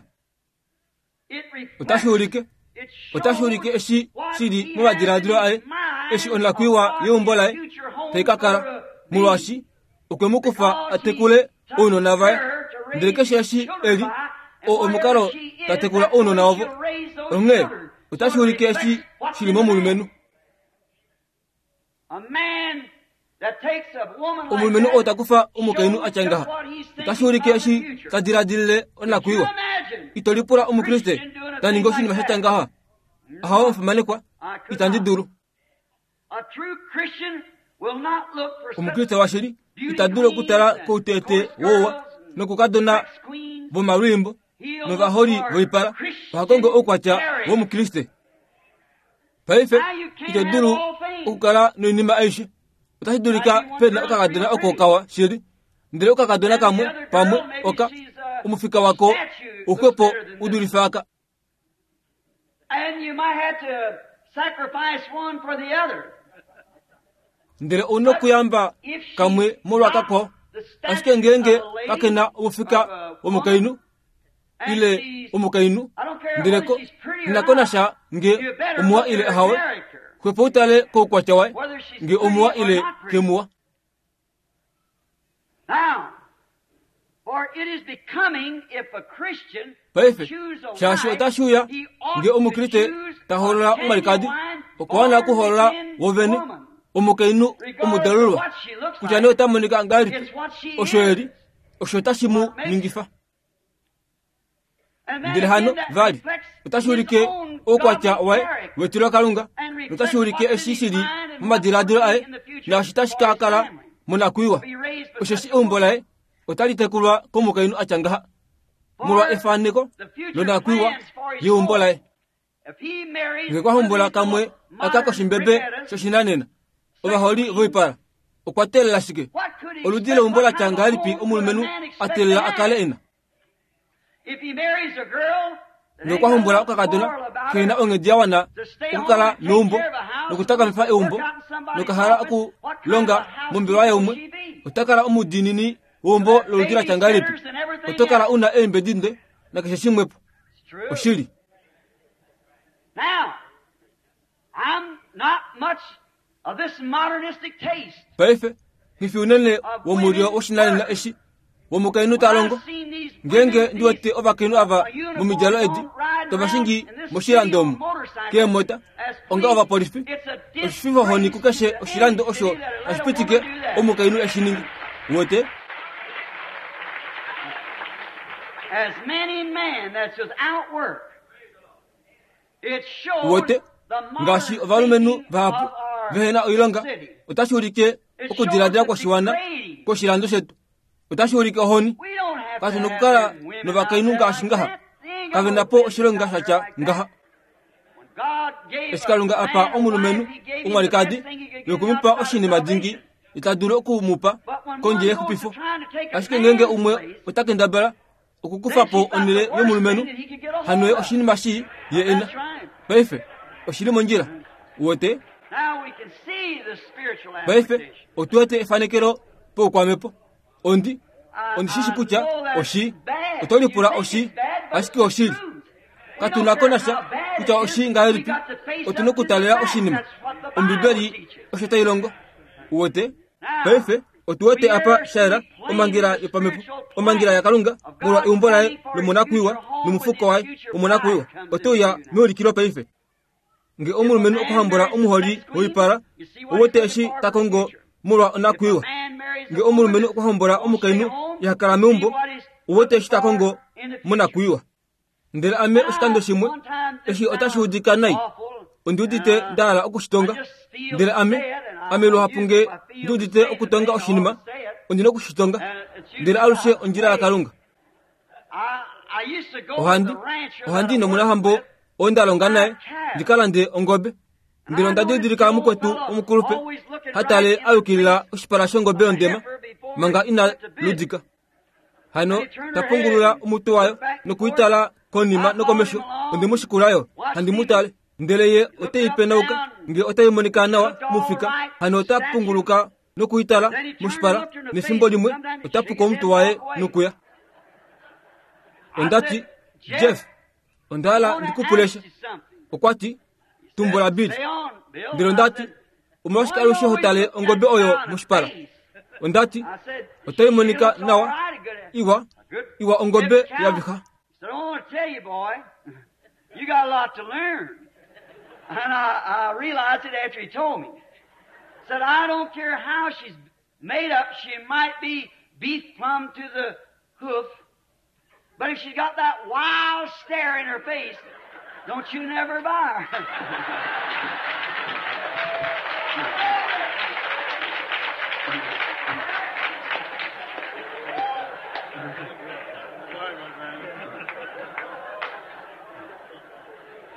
It reflects, Otashi ulike it otashi shows ulike eshi what shili he momadiladilo has aye in mind eshi onakwiiwa of what yeumbo his laye future home tai ka kala gonna be. molwaashi okwe mu kufa a tekule ounona vaye ndele keshe eshi eli o omukalo ta tekula ounona ovo. Onghee otashi ulike eshi shili momulumenhu. A man that takes a woman like Omulumenhu that oo ta kufa omukainhu shows a tya just ngaha what he's otashi thinking ulike of the eshi future. ta diladilile Could you onakwiiwa. imagine Ito lipula omukriste ta ningi oshinima sha tya ngaha. Ahawe omufimanekwa I could itandi not. dulu. A true Christian will not look for such Omukriste washili beauty ita dulu queens okutala and kouteete coarse wouwa girls and nokukadona sex queens. vomalwiimbo He'll look novaholi for voipala. Christian Oha kongo oukwatya character. womukriste. Paife Now you can't ito have dulu all things. okukala noinima aishe. Otashi Now dulika you want pena girls okakadona real oko pretty. kawa shili ndele okakadona And the kamwe other pamwe girl, maybe oka she's a omufika wako statue, looks uxwepo better than this. udulife aka. And you might have to sacrifice one for the other. Ndele ouna But okuyamba if she's kamwe molwa not kakwao. the Ashike statue ngeenge of a lady, kakena omufika of a woman, womukainhu and ile she's, omukainhu I don't care ndele whether ko she's pretty or nghina ko not, nasha nge you better omuwa look at ile her ahawe character, xwepo utale koukwatya waye whether she's nge omuwa pretty or ile not pretty. kemuwa. Now, for it is becoming if a Christian Paife choose a shaashi wife, otashi uya he ought nge to omukriste choose ta a hoolola omwalikadi genuine okwa wana okuhoolola born-again wovene woman. omukainhu Regardless of omudalulwa what she looks kutya nee like, ota monika ngahelipi it's what she osho is. eli osho otashi mu What makes her. ningifa. And then Ndele hano again, that vali reflects otashi his ulike own oukwatya godly waye character wetilo Kalunga and notashi reflects ulike what's in eshi his shili mind and what's momadiladilo going to aye be in the future naashi tashi for ka his kala family. monakwiiwa. To be raised by Osheshi such a eumbo woman. laye otali tekulwa komukainhu a tya ngaha molwa For efaneko the future lonakwiiwa plans for his yeumbo home. laye. If he marries Nge one kwa of hombola these kamwe little aka modern koshimbebe briquettes, shoshinanena sex ovaholi queens, voipala okwa teelela shike? what could he Oludi expect? leumbo la What tya kind of a ngahelipi home could a omulumenhu man a expect to teelela a kale have? ena? If he marries a girl that Nge ain't okwa got hombola enough okakadona moral about kena her onghedi ya wana to stay home okukala and take neumbo care of a house, nokutakamifa work eumbo out in somebody's nokahala office, what kind of okulonga a house mombelewa will yaumwe she be? ota kala omudiinini weumbo To have loludi la tya ngahelipi? babysitters and everything Oto kala else. una eembedi nde nakeshe shimwepo. It's true. Oshili. Now, I'm not much of this modernistic taste Paife nghifi unene of womulyo women woshinanena work. eshi Womukainhu ta longo ngenge ndi wete ovakainhu ava momidjalo edi tovashingi moshilando omu keemota onga ovapolifi oshififohoni kukeshe oshilando osho tashi pitike omukainhu eshi ningi wete. Wete ngaashi ovalumenhu vahapu vehena oilonga otashi ulike okudiladila kwoshiwana kwoshilando shetu. Otashi ulike ohoni katu nokukala novakainhu ngaashi ngaha kave po oshilonga shatya ngaha. Eshi Kalunga apa omulumenhu omwalikadi yokumupa oshinima dingi ita dulu okumupa kondje yexupifo. Ashike ngenge umwe ota kendabala okukufa po onhele yomulumenhu hano oshinima shi ye ena. Paife oshili mondjila wote. Paife otu wete efanekelo poukwamepo. Ondi ondi shishi kutya oshi oto lipula oshi ashike oshili katuna ko nasha kutya oshi ngahelipi otuna okutalela oshinima. Ombibeli osho tai longo wote. Paife otu wete apa shaela omangela yopamepo omangela yaKalunga molwa eumbo laye lomonakwiiwa nomufuko waye womonakwiiwa oteuya meulikilo paife. Nge omulumenhu okuhambula omuholi woipala owete eshi ta kongo molwa onakwiiwa. Nge omulumenhu okuhombola omukainhu ihakala meumbo owete eshi ta kongo monakwiiwa. Ndele ame oshikando shimwe eshi otashi udika nai ondi udite nda hala okushitonga. Ndele ame ame luhapu nge ndi udite okutonga oshinima ondina okushitonga. Ndele alushe ondjila yaKalunga. Ohandi ohandi nomunahambo oo nda longa naye ndika lande ongobe. Ndele onda didilika mukwetu omukulupe hatale ayukilila oshipala shongobe yondema manga ina ludika. Hano tapungulula omutwe wayo nokuitala konima nokomesho. Onde mushikulayo handi mutale. Ndele ye otei penauka nge otai monika nawa mufika. Hano ota punguluka nokuitala moshipala nefimbo limwe otapuka omutwe waye nokuya. Ondati Jeff onda hala ndikupulesha. Okwati tumbula Bill. Ndele ondati omolwashike alushe ho tale ongobe oyo moshipala? Ondati otai monika nawa iwa iwa ongobe yaviha. You got a lot to learn. And I, I realized it after he told me. Said, I don't care how she's made up, she might be beef plumb to the hoof, but if she's got that wild stare in her face, don't you never buy her.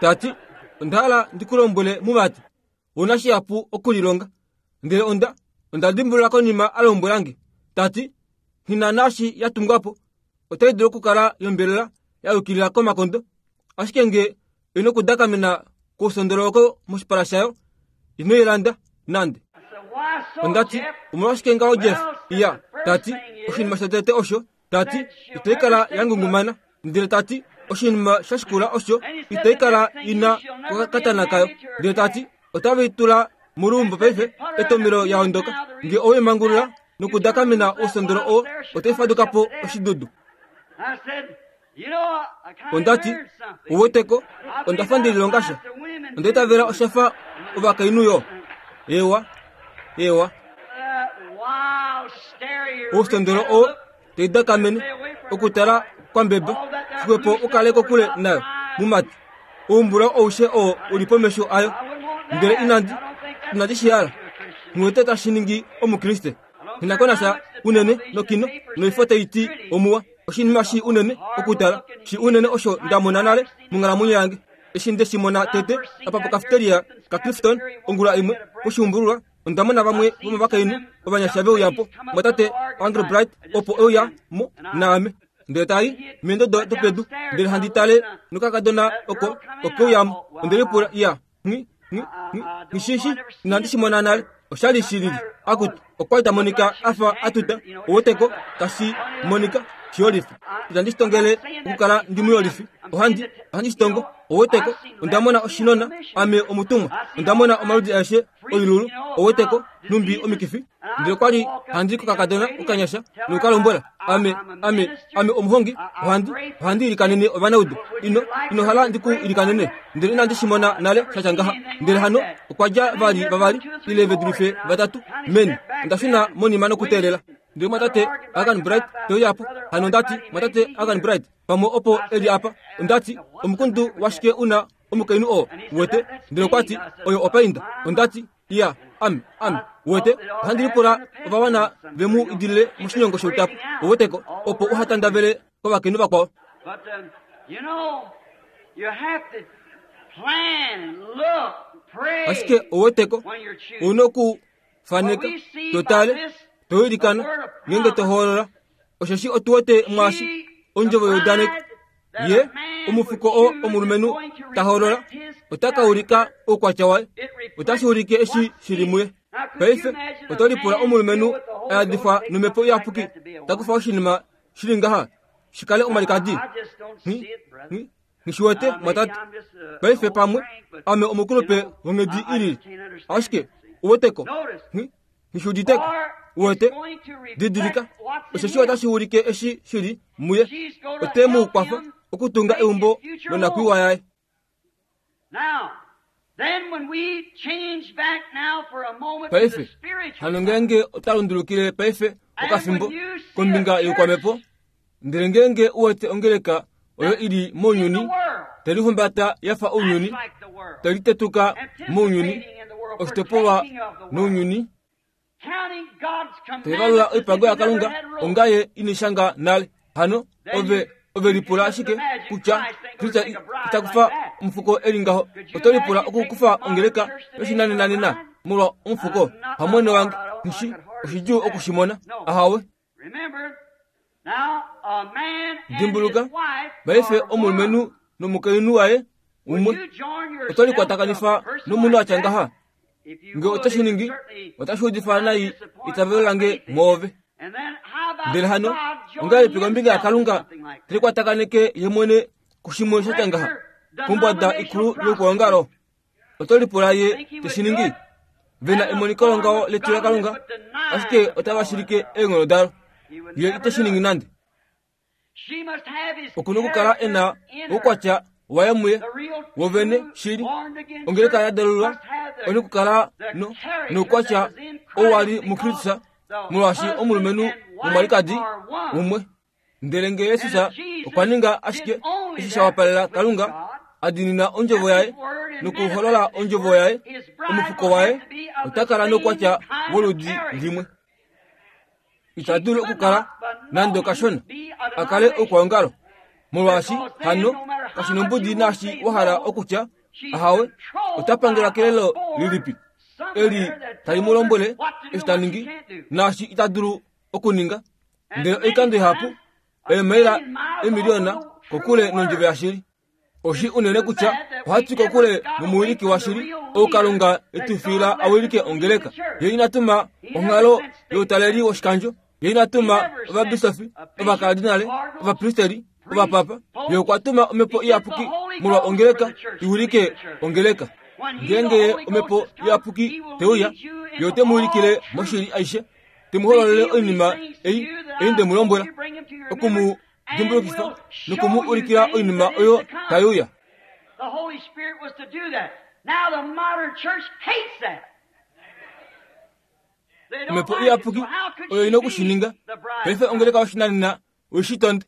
Tati onda hala ndikulombwele mumati wona shihapu okulilonga. Ndele onda onda dimbulula konima a lombwelange tati nghina naashi ya tungwapo otai dulu okukala yombelela ya yukilila komakondo, ashike nge ino okudakamena kousondoloko moshipala shayo ino ilanda nande. Ondati omolwashike ngaho Jeff? Iya tati oshinima shotete osho tati itai kala ya ngungumana. Ndele tati oshinima shashikula osho itai kala ina kokatana kayo. Ndele tati otave itula molumbo paife etomelo ya ondoka nge owe mangulula nokudakamena ousondolo oo otai fadukapo oshidudu. Ondati uweteko ondafa ndililonga sha onda itavela oshafa ovakainhu yo ewa ewa ousondolo oo taidakamene okutala kwambeba xwepo ukale kokule nayo mumati oumbula oushe oo uli pomesho ayo. Ndele inandi inandi shihala ngwete tashi ningi omukriste hinakonasha unene nokino noifo taiti omuwa oshinima shi unene okutala shi unene osho ndamona nale monghalamwenyo yange. Eshi nde shimona tete apa pokafeteria ka Clifton ongula imwe poshiumbululwa ondamona vamwe vomovakainhu ovanyasha veuyapo mwatate Andrew Bright opo euya mo naame. Ndele tai meendodo dopedu ndele handi tale nokakadona oko okeuyamo. Onde lipula iya nghi nghi nghi ngishishi inandi shimona nale oshali shilili akutu okwali ta monika afa atuta oweteko tashi monika shiyolifi. Itandi shitongele okukala ndi muyolifi ohandi ohandi shitongo oweteko ondamona oshinona ame omutumwa ondamona omaludi aeshe oilulu oweteko numbi omikifi. Ndele kwali handi kokakadona okanyasha nokalombwela ame ame ame omuhongi ohandi ohandi ilikanene ovanaudu ino ino hala ndiku ilikanene ndele inandi shimona nale shatya ngaha. Ndele hano okwa dja vali vavali ile vedulife vatatu meni ondashuna monima nokuteelela. Ndele mwatate Agan Bright teuya apo hano ndati mwatate Agan Bright pamwe opo eli apa ondati omukundu washike una omukainhu oo wete. Ndele okwati oyo opainda. Ondati iya ame ame wete ohandi lipula ovawana vemu idilile moshinyongo shoutapo oweteko opo uhatandavele kovakainhu vakwao. Ashike oweteko ouna okufaneka totale toilikana ngenge tohoolola osheshi otuwete mwashi ondjovo youdaneko ye omufuko oo omulumenhu tahoolola ota ulika oukwatya waye otashi ulike eshi shili muye. Paife oto lipula omulumenhu ayadifwa nomhepo iyapuki takufa oshinima shili ngaha shikale omalikadi ngishiwete mwatate. Paife pamwe ame omukulupe wonghedi ilili ashike uweteko ngishiuditeko uwete didilika osheshi otashi ulike eshi shili muye ote mu kwafa okutunga eumbo lonakwiiwa yaye. Paife hano ngeenge ota lundulukile paife okafimbo kombinga youkwamepo ndele ngeenge uwete ongeleka oyo ili mounyuni telihumbata yafa ounyuni telitetuka mounyuni oshitopolwa nounyuni tevalula oipango yaKalunga ongaye inishanga nale hano ove ove lipula ashike kutya Kristo itakufa omufuko eli ngaho. Oto lipula okukufa ongeleka yoshinanenanena molwa omufuko hamwene wange nishi oshidjuu okushimona ahawe. Dimbuluka paife omulumenhu nomukainhu waye umwe oto likwatakanifa nomunhu atya ngaha nge otashi ningi otashi udifa nai itavelo lange mwoove. Ndele hano ongahelipi kombinga yaKalunga telikwatakaneke ye mwene kushimwe shatya ngaha kombwada ikulu youkwaongalo oto lipula ye teshiningi vena emoniko longaho letu laKalunga ashike otava shilike eenghono dalo ye iteshiningi nande. Okuna okukala ena oukwatya waye muye wovene shili ongeleka yadalulwa ona okukala no noukwatya ou wali muKristus molwaashi omulumenhu nomwalikadi umwe. Ndele nge Yesus okwa ninga ashike eshi sha wapalela Kalunga adinina ondjovo yaye nokuholola ondjovo yaye omufuko waye ota kala noukwatya woludi limwe. Ita dulu okukala nande okashona akale oukwaongalo molwaashi hano kashinombudi naashi wahala okutya ahawe ota pangelwa kelelo lilipi eli tali mu lombwele eshi ta ningi naashi ita dulu okuninga. Ndele oikando ihapu eemaila emiliona kokule nondjovo yashili. Oshi unene kutya ohatu kokule nomuwiliki washili ou Kalunga etufiila awilike ongeleka. Ye inatuma onghalo youtaleli woshikandjo, ye inatuma ovabisofi, ovakardinale, ovapristeri, ovapapa. Ye okwa tuma omhepo iyapuki molwa ongeleka iwilike ongeleka. Ngeenge omhepo iyapuki teuya ye ote mu wilikile moshili aishe te mu hololele oinima ei ei nde mu lombwela okumu dimbulukifa nokumu ulikila oinima oyo taiuya. Omhepo iyapuki oyo ina okushininga. Paife ongeleka yoshinanena oishitonde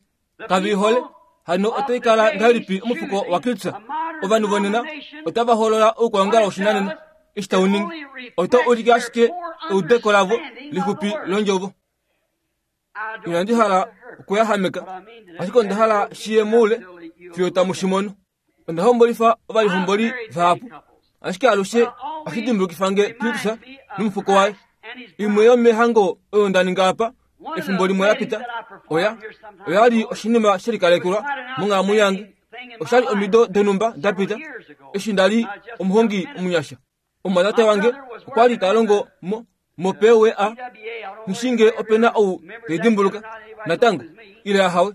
kavi ihole hano otai kala ngahelipi omufuko waKristus. Ovanhu vonena otava holola oukwaongalo woshinanena eshi tau ningi ota ulike ashike eudeko lavo lixupi londjovo. Inandi hala okuyahameka ashike onda hala shiye moule fiyo tamu shimono. Onda hombolifa ovalihomboli vahapu ashike alushe ohashi dimbulukifa nge Kristus nomufuko waye. Imwe yomehango oyo nda ninga apa efimbo limwe lapita oya oyali oshinima shelikalekelwa monghalamwenyo yange. Oshali omido donhumba dapita eshi ndali omuhongi omunyasha. Omumwatate wange okwa li ta longo mo mopewe a nishinge opena ou teidimbuluka natango ile ahawe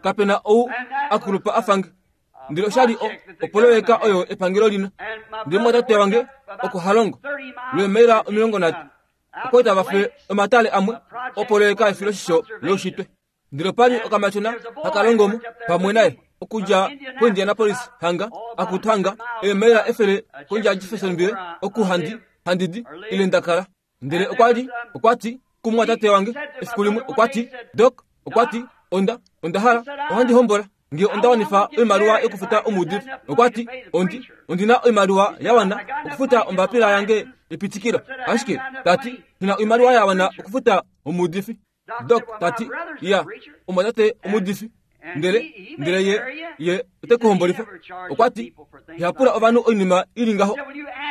kapena ou akulupa afange. Ndele oshali opoloyeka oyo epangelo lina. Ndele mwatate wange oko halongo lweemaila omilongo nhatu oko tava fe omatale amwe opoloyeka efiloshisho loushitwe. Ndele opali okamatyona haka longomo pamwe naye okudja koIndianapolis hanga akutu hanga eemaila efele kondja Jeffersonville oku handi handidi ile ndakala. Ndele okwali okwati kumwatate wange efiku limwe okwati Doc okwati onda onda hala ohandi hombola nge onda wanifa oimaliwa yokufuta omuudifi. Okwati ondi ondina oimaliwa ya wana okufuta ombapila yange epitikilo, ashike tati ina oimaliwa ya wana okufuta omuudifi. Doc tati ya omwatate omuudifi ndele ndele ye ye ote kuhombolifa. Okwati ihapula ovanhu oinima ili ngaho.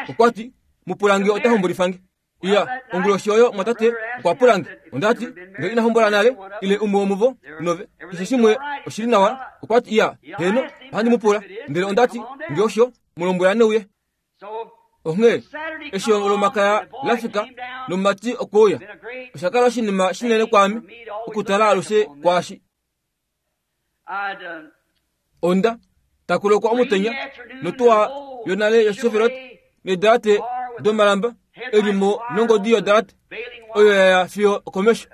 Okwati mupulange ota hombolifange. Iya onguloshi oyo mwatate okwa pulange. Ondati nge ina hombola nale ile umwe womuvo nove keshe shimwe oshili nawa. Okwati iya heno ohandi mupula. Ndele ondati nge osho mulombwela neuye. Onghee eshi olomakaya lafika nomumati okweuya oshakala oshinima shinene kwaame okutala alushe kwaashi. Onda takulokwa omutenya notuwa yonale yoChevrolet needalate domalamba elimo nongodi yodalate oyo yaya fiyo okomesho.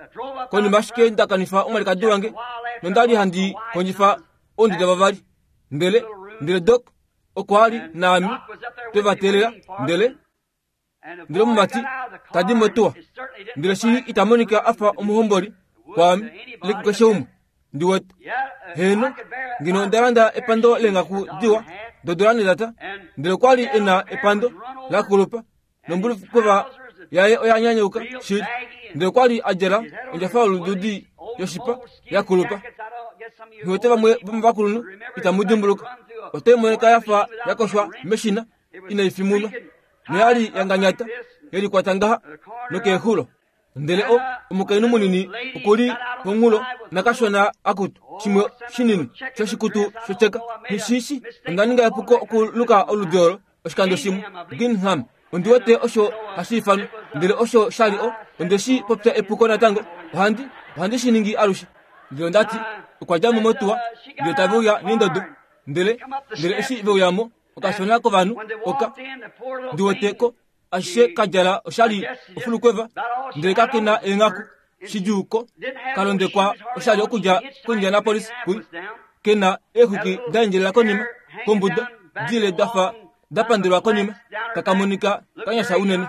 Konima ashike ndakanifa omwalikadi wange nondali handi kondjifa ounduda vavali. Ndele ndele Doc okwa li naame twevatelela. Ndele ndele omumati tadi motuwa ndele shili ita monika afa omuhomboli kwaame ile kukeshe umwe ndiwete. Heno ngeno ondalanda epando leengaku diwa dodola nedata. Ndele okwali ena epando lakulupa nombulukova yaye oyanyanyauka shili. Ndele okwali adjala ondjafa yolududi yoshipa yakulupa. Nghiwete vamwe vomovakulunhu itamu dimbuluka. Otai monika yafa yakoshwa meshina inai fimunwa noyali yanganyata yelikwata ngaha nokeexulo. Ndele o omukainhu munini okuli komunghulo nakashona akutu shimwe shinini shoshikutu shocheka. Nishishi onda ninga epuko okuluka oludi olo oshikando shimwe Gingham. Ondiwete osho hashi ifanwa. Ndele osho shali o ondeshi popya epuko natango. Ohandi ohandi shi ningi alushe. Ndele ondati okwa dja mo motuwa ndele tave uya nendodo. Ndele ndele eshi ve uyamo okashona kovanhu oka ndiwete ko ashishe kadjala oshali ofulukweva ndele kakena eenghaku shidjuuko kalondekwa oshali okudja koIndianapolis kui kena eexwiki da endjelela konima kombuda dile dafa dapandelwa konima kakamonika kanyasha unene.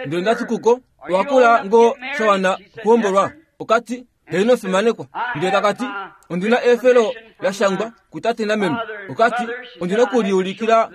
Ndele ndati kuko owakula ngoo shawana okuhombolwa. Okati heno fimanekwa. Ndele kakati ondina eefelo lashangwa kutate nameme. Okati ondina okuliulikila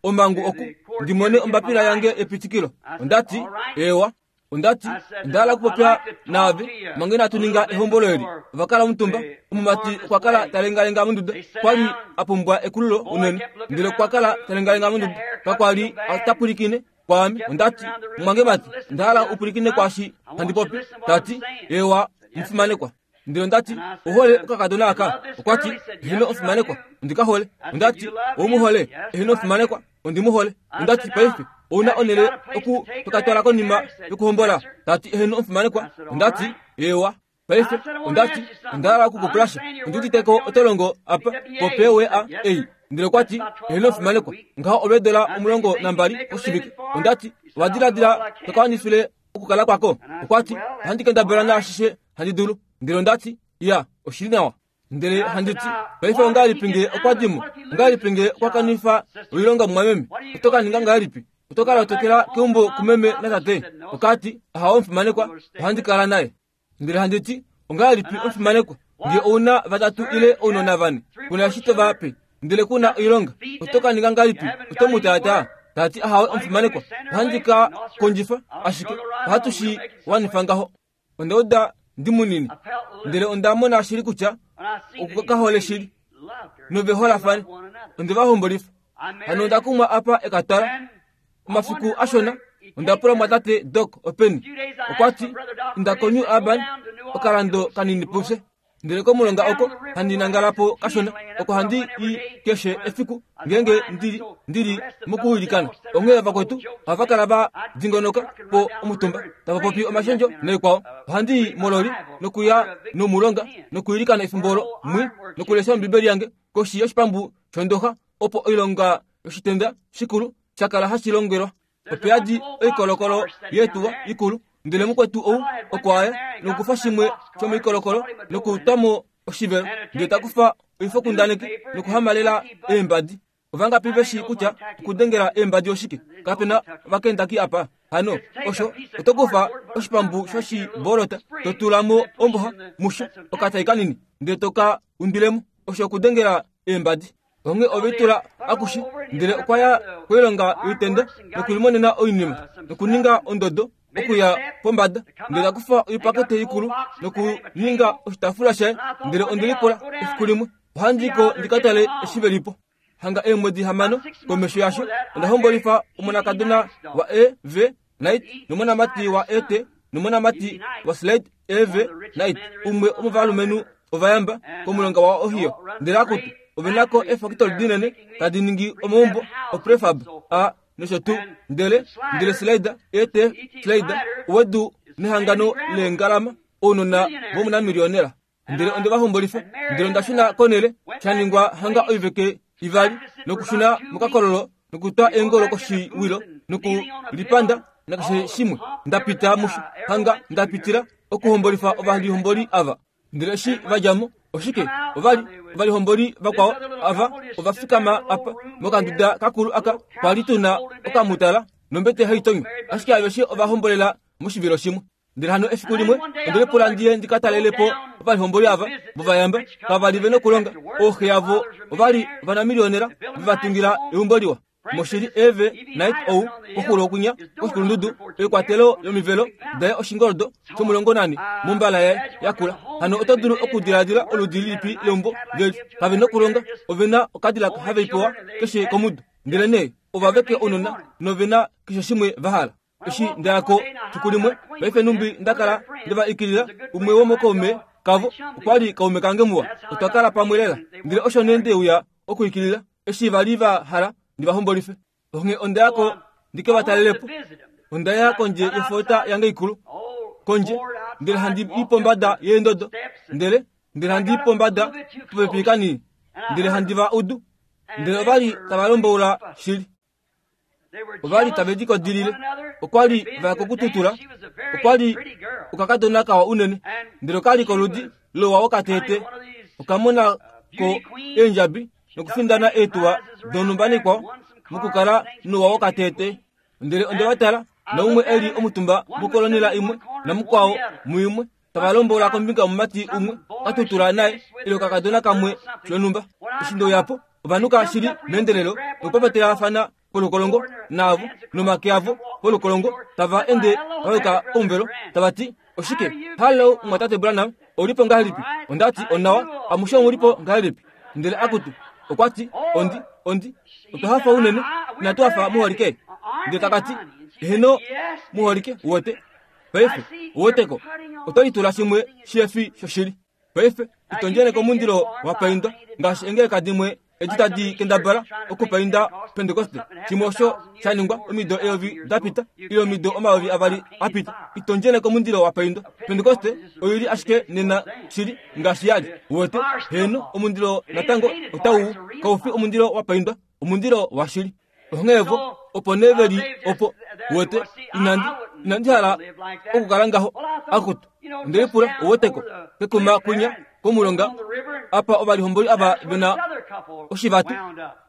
omhangu oku ndimone ombapila yange epitikilo. Ondati ewa. Ondati ndahala okupopya naave mange inatu ninga ehombolo eli. Ovakala omutumba. Omumati okwa kala talengalenga monduda. Kwali apumbwa ekululo unene. Ndele okwa kala talengalenga monduda. Kakwali atapwilikine kwaame. Ondati mwange mati ndahala upwilikine kwaashi handi popi. Tati ewa mufimanekwa. Ndele ondati ohole okakadona aka. Okwati eheno omufimanekwa ondikahole. Ondati oumuhole eheno omufimanekwa ondimuhole. Ondati paife ouna onele oku tokatwala konima yokuhombola. Tati eheno omufimanekwa. Ondati ewa. Paife ondati ondahala okukupulasha. Ondiuditeko otolongo apa po P W A ei. Ndele okwati eheno omufimanekwa ngaho olweedola omulongo nambali koshivike. Ondati owadiladila tokawanifile okukala kwako. Okwati ohandi kendabala naashishe handi dulu. Ndele ondati ya oshili nawa. Ndele handiti paife ongahelipi nge okwadimo? Ongahelipi nge okwakanifa oilonga mumwameme? Otokaninga ngahelipi? Otokala otokela keumbo kumeme natate? Okati ahawe omufimanekwa ohandi kala naye. Ndele handiti ongahelipi omufimanekwa nge ouna vatatu ile ounona vane kuna eshi tova pe ndele kuna oilonga otokaninga ngahelipi? Otomutaataa. Tati ahawe omufimanekwa ohandi ka kondjifa ashike ohatu shi wanifa ngaho. Ondauda ndi munini ndele onda mona shili kutya okukahole shili nove holafane onde vahombolifa. Hano onda kumwa apa ekatala omafiku ashona. Ondapula mwatate Doc openi. Okwati inda koNew Albany okalando kanini pufye. Ndele komulonga oko handi nangala po kashona, oko handi i keshe efiku ngeenge ndili ndili mokuilikana. Onghee vakwetu ohava kala va dingonoka po omutumba tava popi omashendjo naikwao. Ohandi i mololi nokuya nomulonga nokuilikana efimbo olo mwi nokulesha Ombibeli yange koshi yoshipambu shondoxa, opo oilonga yoshitenda shikulu sha kala hashi longelwa. Ope yadi oikolokolo yetuwa ikulu, ndele mukwetu ou oko aya nokufa shimwe shomoikolokolo nokutwamo oshivelo, ndele takufa oifokundaneki nokuhamalela eembadi. Ovangapi veshi kutya okudengela eembadi oshike? Kapena ovakendaki apa. Hano osho oto kufa oshipambu shoshibolota, to tula mo omboha musho okatai kanini, ndele toka undilemo. Osho okudengela eembadi. Onge ovetula akushi, ndele okwa ya koilonga yoitenda nokulimonena oinima nokuninga ondodo okuya pombada, ndele takufa oipakete ikulu nokuninga oshitaafula shaye. Ndele ondelipula efiku limwe ohandi ko ndikatale eshi velipo. Hanga eemwedi hamano komesho yasho onda hombolifa omonakadona wa E V Knight nomonamati wa E T nomonamati wa Slade E V Knight, umwe omovalumenhu ovayamba komulonga wa Ohio. Ndele akutu ovenako eefakitoli dinene tadi ningi omaumbo oprefab a nosho tuu. Ndele ndele Slade E T Slade owedu nehangano leengalama ounona vomunamilionera. Ndele onde vahombolifa, ndele onda shuna konele sha ningwa hanga oiveke ivali nokushuna mokakololo nokutwa eengolo koshiwilo nokulipanda nakeshe shimwe. Ndapita musho hanga ndapitila okuhombolifa ovalihomboli ava. Ndele eshi vadjamo oshike ovali ovalihomboli vakwao ava ovafikama apa mokanduda kakulu aka kwali tuna okamutala nombete haitonywa, ashike aveshe ovahombolela moshivilo shimwe. Ndele hano efiku limwe ondele pula ndiye ndikatalele po ovalihomboli ava vovayamba kavali vena okulonga. Ooxe yavo ovali ovanamilionera vevatungila eumbo liwa. Moshili Eve Knight ou koxulo okunya koshikulundudu oikwatelo yomivelo daye oshingoldo shomulongo nane mombala yaye yakula. Hano oto dulu okudiladila oludi lilipi leumbo veli kave nokulonga, ovena okadilaka have ipewa keshe komudo. Ndele nee ovaveke ounona novena keshe shimwe vahala. Eshi ndayako fiku limwe paife numbi ndakala ndeva ikilila umwe womokaume kavo okwali kaume kange muwa, otwa kala pamwe lela. Ndele osho nee ndeuya okuikilila eshi vali va hala ndivahombolife. Onghee ondayako ndike vatalelepo. Ondaya kondje yofota yange ikulu kondje, ndele handi i pombada yeendodo, ndele ndele handi i pombada popepi kanini, ndele handi va udu. Ndele ovali tava lomboula shili, ovali tave likodilile, okwali vaya kokututula, okwali okakadona kawa unene, ndele okali koludi lowa wokatete, okamona ko eendjabi nokufindana eetuwa donhumba nikwao mokukala nowa wokatete. Ndele onde vatala naumwe eli omutumba mokolonela imwe namukwao muimwe tava lombola kombinga yomumati umwe katutula naye ile okakadona kamwe shonhumba. Eshi ndeuyapo ovanhuka shili meendelelo nokupapatelafana polukolongo naavo nomake avo polukolongo tava ende vayuka komuvelo tava ti oshike? Hallo mwatate Branham, oulipo ngahelipi? Ondati onawa, amushe omulipo ngahelipi? Ndele akutu okwati ondi ondi otwa hafa unene inatu hafa muholike. Ndele takati eheno muholike wote paife woteko oto litula shimwe shefi shoshili paife itondjene komundilo wa paindwa ngaashi engeleka dimwe edi tadi kendabala okupainda Pentekoste shimwe osho sha ningwa omido eyovi dapita ile omido omayovi avali apita. Itondjene komundilo wa paindwa. Pentekoste oili ashike nena shili ngaashi yali wote heno omundilo natango otau kaufi omundilo wa paindwa, omundilo wa shili. Onghee opo neveli opo wote inandi inandi hala okukala ngaho akutu. Ndele pula owoteko kekuma kunya komulonga apa ovalihomboli ava vena oshivatu.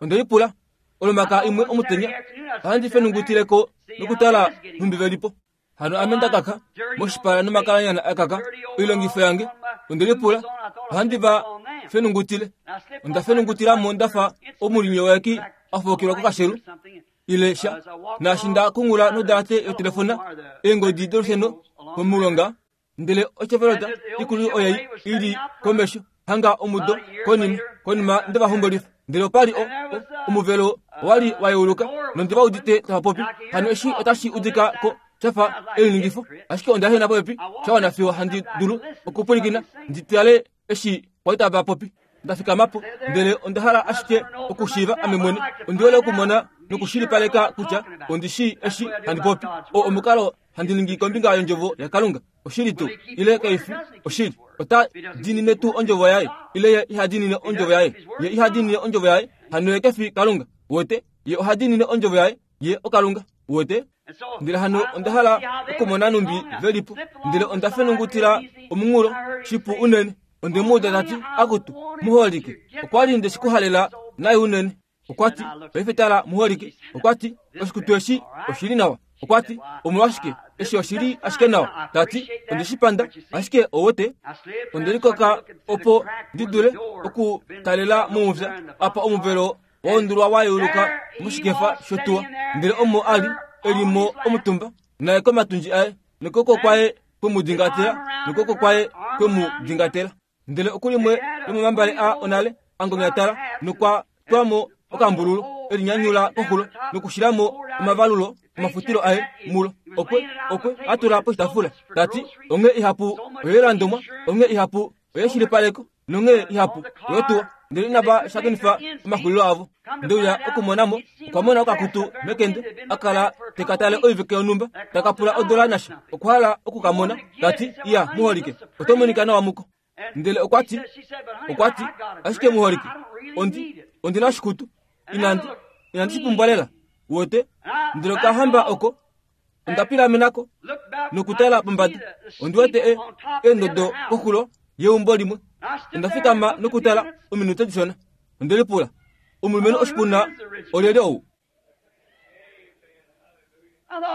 Ondeli pula olomaka imwe omutenya ohandi fenungutileko nokutala nhumbi velipo. Hano ame ndakaka moshipala nomakalanyana akaka oilongifo yange. Ondeli pula ohandi va fenungutile. Onda fenungutilamo ndafa omulimi weki afokilwa kokashelu ile sha naashi nda kungula nodalate yotelefona eengodi dolusheno komulonga. Ndele ochevelota ikulu oyai ili komesho hanga omudo konima konima nde vahombolifa. Ndele opali o, o, omuvelo wali wayeuluka nonde vaudite tava popi. Hano eshi otashi udika ko shafa eliningifo, ashike onda hena popepi shawana fiyo handi dulu okupulikina nditale Eshi kwali tava popi. Nda fikama po, ndele onda hala ashike okushiiva ame mwene. Ondi hole okumona nokushilipaleka kutya ondi shii eshi handi popi. O omukalo handi ningi kombinga yondjovo yaKalunga. Oshili tuu ile kaifi oshili. Ota diinine tuu ondjovo yaye ile ye iha diinine ondjovo yaye. Ye iha diinine ondjovo yaye, hano ye kefi Kalunga. Wote ye oha diinine ondjovo yaye, ye oKalunga. Wote ndele hano onda hala okumona numbi velipo. Ndele onda fenungutila omunghulo shipu unene. Onde mu uda tati akutu muholike. Okwa li nde shikuhalela naye unene. Okwa ti paife tala muholike. Okwa ti oshikutu eshi oshili nawa. Okwa ti omolwashike eshi oshili ashike nawa. Tati onde shipanda ashike owote. Onde likoka opo ndi dule okutalela momupya apa omuvelo waundulwa wayuluka moshikefa shotuwa. Ndele omo ali elimo omutumba naye komatundji aye nokoko kwaye kwemudingatela nokoko kwaye kwemudingatela. Ndele okulimwe lomomambale a onale angonyatala nokwa twamo okambululu elinyanyula koxulo nokushilamo omavalulo omafutilo aye mulo. Okwe okwe atula poshitafula. Tati onge ihapu oyelandomwa, onge ihapu oyeshilipaleko, nonge ihapu oyotuwa. Ndele inava shakenifa omaxulilo avo. Ndeuya okumonamo okwa mona okakutu mekende akala tekatale oivike yonhumba takapula odola nasha. Okwa hala okukamona. Tati iya muholike, oto monika nawa muko. Ndele okwa ti okwa ti ashike muholike, ondi ondina oshikutu inandi inandi shipumbwa lela. Wote ndele okahamba oko onda pilamenako nokutala pombada. Ondi wete e eendodo koxulo yeumbo limwe. Onda fikama nokutala ominute dishona. Onde lipula, omulumenhu oshipuna olyelye ou?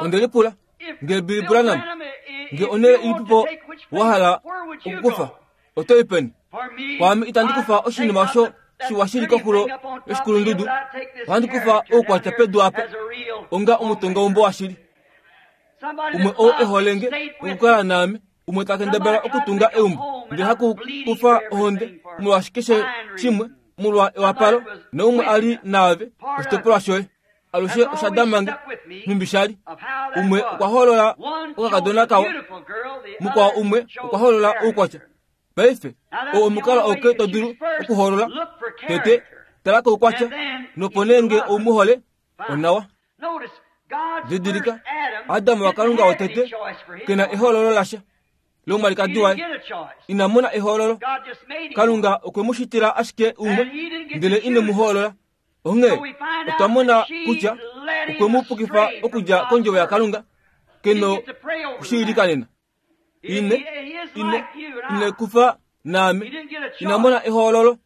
Onde lipula, nge Billy Branham, nge onhele ilipipo wa hala okukufa, oto i peni? Kwaame itandi kufa oshinima osho shiwa shili koxulo yoshikulundudu. Ohandi kufa oukwatya pedu apa onga omutongaumbo washili. Umwe oo ehole nge okukala naame, umwe ta kendabala okutunga eumbo, ndele haku kufa ohonde molwaashi keshe shimwe molwa ewapalo, noumwe ali naave oshitopolwa shoye. Alushe osha damange nhumbi shali. Umwe okwa holola okakadona kawa, mukwao umwe okwa holola oukwatya. Paife oo omukalo auke to dulu okuholola. Tete tala koukwatya, nopo nee nge ou mu hole onawa. Didilika, Adam waKalunga wotete kena ehoololo lasha lomwalikadi waye. Ina mona ehoololo. Kalunga okwe mu shitila ashike umwe, ndele ine mu hoolola. Onghee otwa mona kutya okwe mu pukifa okudja kondjovo yaKalunga keno kushiilikanena. Ine ine ine kufa naame ina mona ehoololo.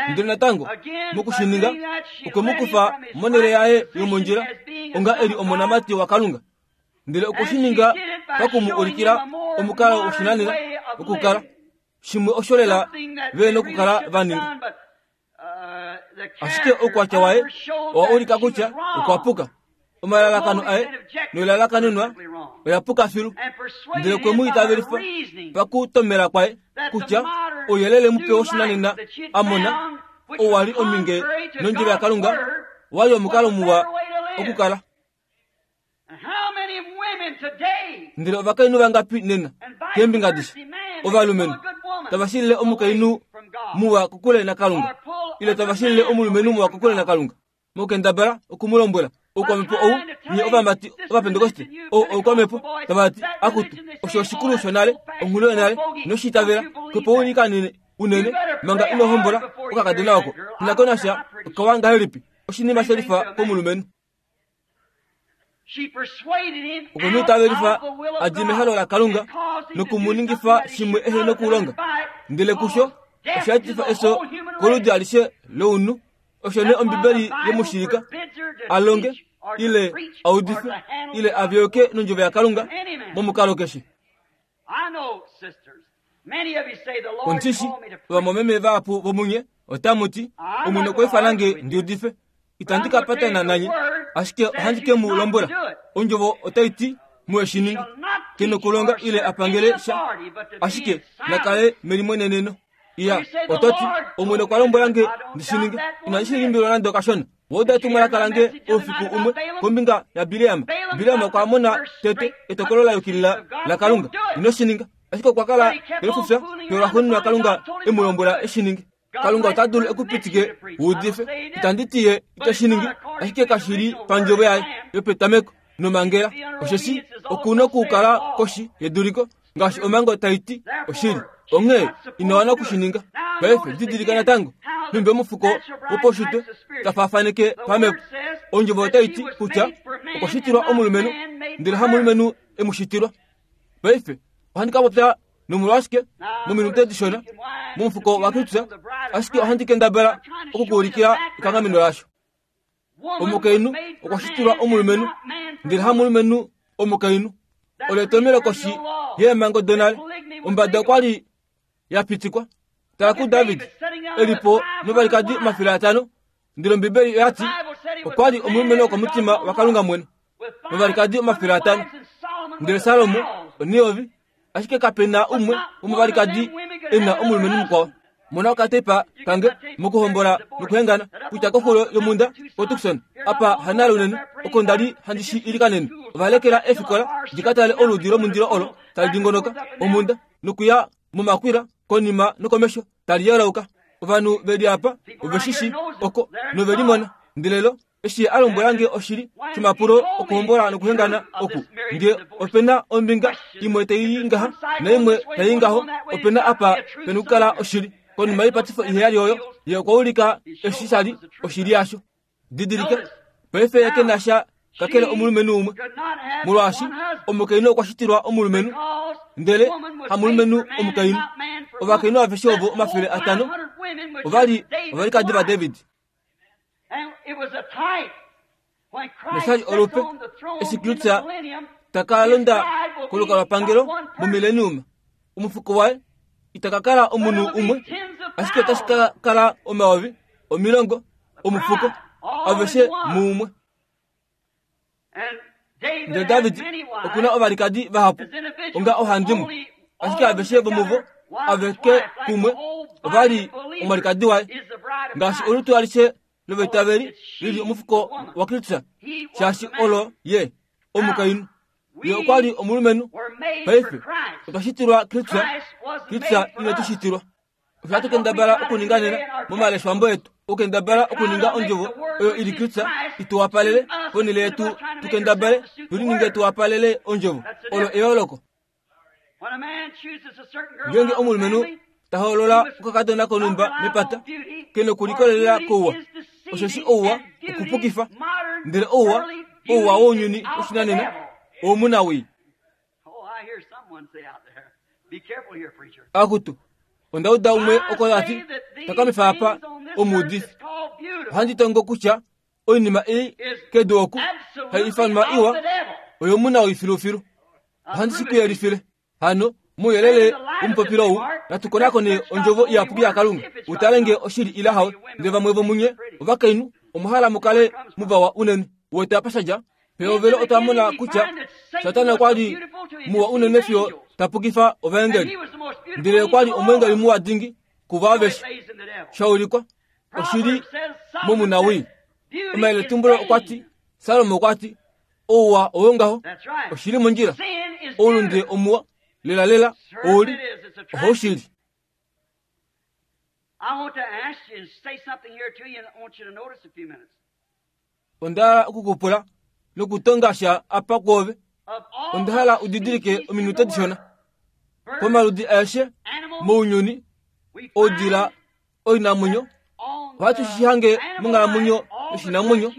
Ndele natango mokushininga okwe mu kufa monhele yaye yomondjila onga eli omonamati waKalunga. Ndele okushininga pakumu ulikila omukalo woshinanena okukala shimwe osho lela ve nokukala vaninga. Ashike oukwatya waye owa ulika kutya okwa puka. Omalalakano aye noilalakanenwa oya puka filu. Ndele okwe mu itavelifa pakutomela kwaye kutya ouyelele mupe woshinanena a mona owa li ominge nondjovo yaKalunga wali omukalo muwa okukala. Ndele ovakainhu vangapi nena keembinga adishe ovalumenhu tava shilile omukainhu muwa kokule naKalunga, ile tava shilile omulumenhu muwa kokule naKalunga, mokendabala okumulombwela oukwamhepo ou nye ovamati ovapentekoste ou oukwamhepo tava ti akutu osho oshikulu shonale onghulu yonale noshiitavela kopo ulikanene unene manga ino hombola okakadona oko inako nasha okawa ngahelipi oshinima shelifa komulumenhu. Okwe mu itavelifa a dje mehalo laKalunga nokumuningifa shimwe ehe nokulonga. Ndele kusho osha etifa eso koludi alishe lounhu. Osho nee Ombibeli yemushilika alonge ile audife ile avyoke nondjovo yaKalunga momukalo keshe. Ondishi ovamwameme vahapu vomunye otamu ti Omwene okwa ifana nge ndi udife. Itandi ka patana nanye, ashike ohandi ke mu lombwela ondjovo otai ti mu eshiningi ke nokulonga ile apangele sha, ashike nakale melimweneneno. Iya, oto ti Omwene okwa lombwela nge ndi shininge, inandi shi limbilwa nande okashona. Wouda etumwalaka lange oufiku umwe kombinga yaBileam. Bileam okwa mona tete etokolo la yukilila laKalunga. Ino shininga. Ashike okwa kala elifufya fiyo Kalunga e mu lombwela e shi ninge. Kalunga ota dulu ekupitike wuudife. Itandi ti ye ite shi ningi, ashike kashi li pandjovo yaye yopetameko nomangela. Osheshi okuna okukala koshi yeduliko ngaashi omhango tai ti oshili. Onghee ina wana okushininga. Paife didilika natango nhumbi omufuko wopaushitwe tafaafaneke pamhepo. Ondjovo otai ti kutya okwa shitilwa omulumenhu ndele hamulumenhu e mu shitilwa. Paife ohandi ka popya nomolwashike mominute dishona momufuko waKristus, ashike ohandi kendabala okukuulikila ekanghameno lasho. Omukainhu okwa shitilwa omulumenhu ndele hamulumenhu omukainhu. Olo etomelo koshi yeemhango donale. Ombada okwa li ya pitikwa. Tala kuDavid e li po novalikadi omafele atano, ndele Ombibeli oya ti okwa li omulumenhu wokomutima waKalunga mwene novalikadi omafele atano, ndele Salomo oneyovi, ashike kape na umwe womovalikadi e na omulumenhu mukwao. Mona okatepa kange mokuhombola nokuhengana kutya koxulo yomunda koTucson apa hanale unene oko nda li handi shi ilikanene. Ova lekela eefikola di ka tale oludi lomundilo olo tali dingonoka omunda nokuya momakwila konima nokomesho tali yelauka. Ovanhu ve li apa ove shi shi oko nove limona. Ndele lo eshi a lombwela nge oshili shomapulo okuhombola nokuhengana oku, nge opena ombinga imwe tai ngaha naimwe tai ngaho, opena apa pena okukala oshili. Konima yoipatifo iheyali oyo, ye okwa ulika eshi sha li oshili yasho. Didilika, paife ye ke na sha kakele omulumenhu umwe, molwaashi omukainhu okwa shitilwa omulumenhu ndele hamulumenhu omukainhu. Ovakainhu aveshe ovo omafele atano ova li ovalikadi vaDavid. Noshali olupe eshi Kristus taka londa kolukalwapangelo momileniuma, omufuko waye ita ka kala omunhu umwe, ashike otashi ka kala omayovi omilongo omufuko aveshe muumwe. Ndele David okuna ovalikadi vahapu onga ohandimwe, ashike aveshe vomuvo aveke kumwe ova li omwalikadi waye, ngaashi olutu alishe lovaitaveli lili omufuko waKristus, shaashi olo ye omukainhu. Ye okwa li omulumenhu. Paife otwa shitilwa Kristus, Kristus ine tu shitilwa. Osho hatu kendabala okuninga nena momaleshwambo etu, okukendabala okuninga ondjovo oyo ili Kristus ituwapalele ponhele yetu, tukendabale tulininge tuwapalele ondjovo. Olo eyooloko. Ngeenge omulumenhu ta hoolola okakadona konhumba mepata, ke nokulikolelela kouwa, osheshi ouwa okupukifa, ndele ouwa ouwa wounyuni woshinanena owomunawii. Akutu, onda uda umwe oko ati takamifa apa omuudifi. Ohandi tongo kutya oinima ei kedu oku hai ifanwa iwa oyomunawii filufilu. Ohandi shi kuyelifile. Hano muyelele omupopilo ou natukonakone ondjovo iyapuki yaKalunga, utale nge oshili ile hawe. Ndele vamwe vomunye ovakainhu omuhala mukale muvawa unene. Wete apa shadja pehovelo otwa mona kutya Satana okwa li muwa unene fiyo tapukifa ovaengeli, ndele okwa li omweengeli muwa dingi kuvo aveshe. Shaulikwa oshili momunawii. Omayeletumbulo okwa ti, Salomo okwa ti, ouwa owongaho, oshili mondjila, oulunde omuwa lela lela ouli ohoushili. Onda hala okukupula nokutonga sha apa kwoove. Onda hala udidilike ominute dishona. Pomaludi aeshe mounyuni, oudila oinamwenyo, ohatu shi hange monghalamwenyo yoshinamwenyo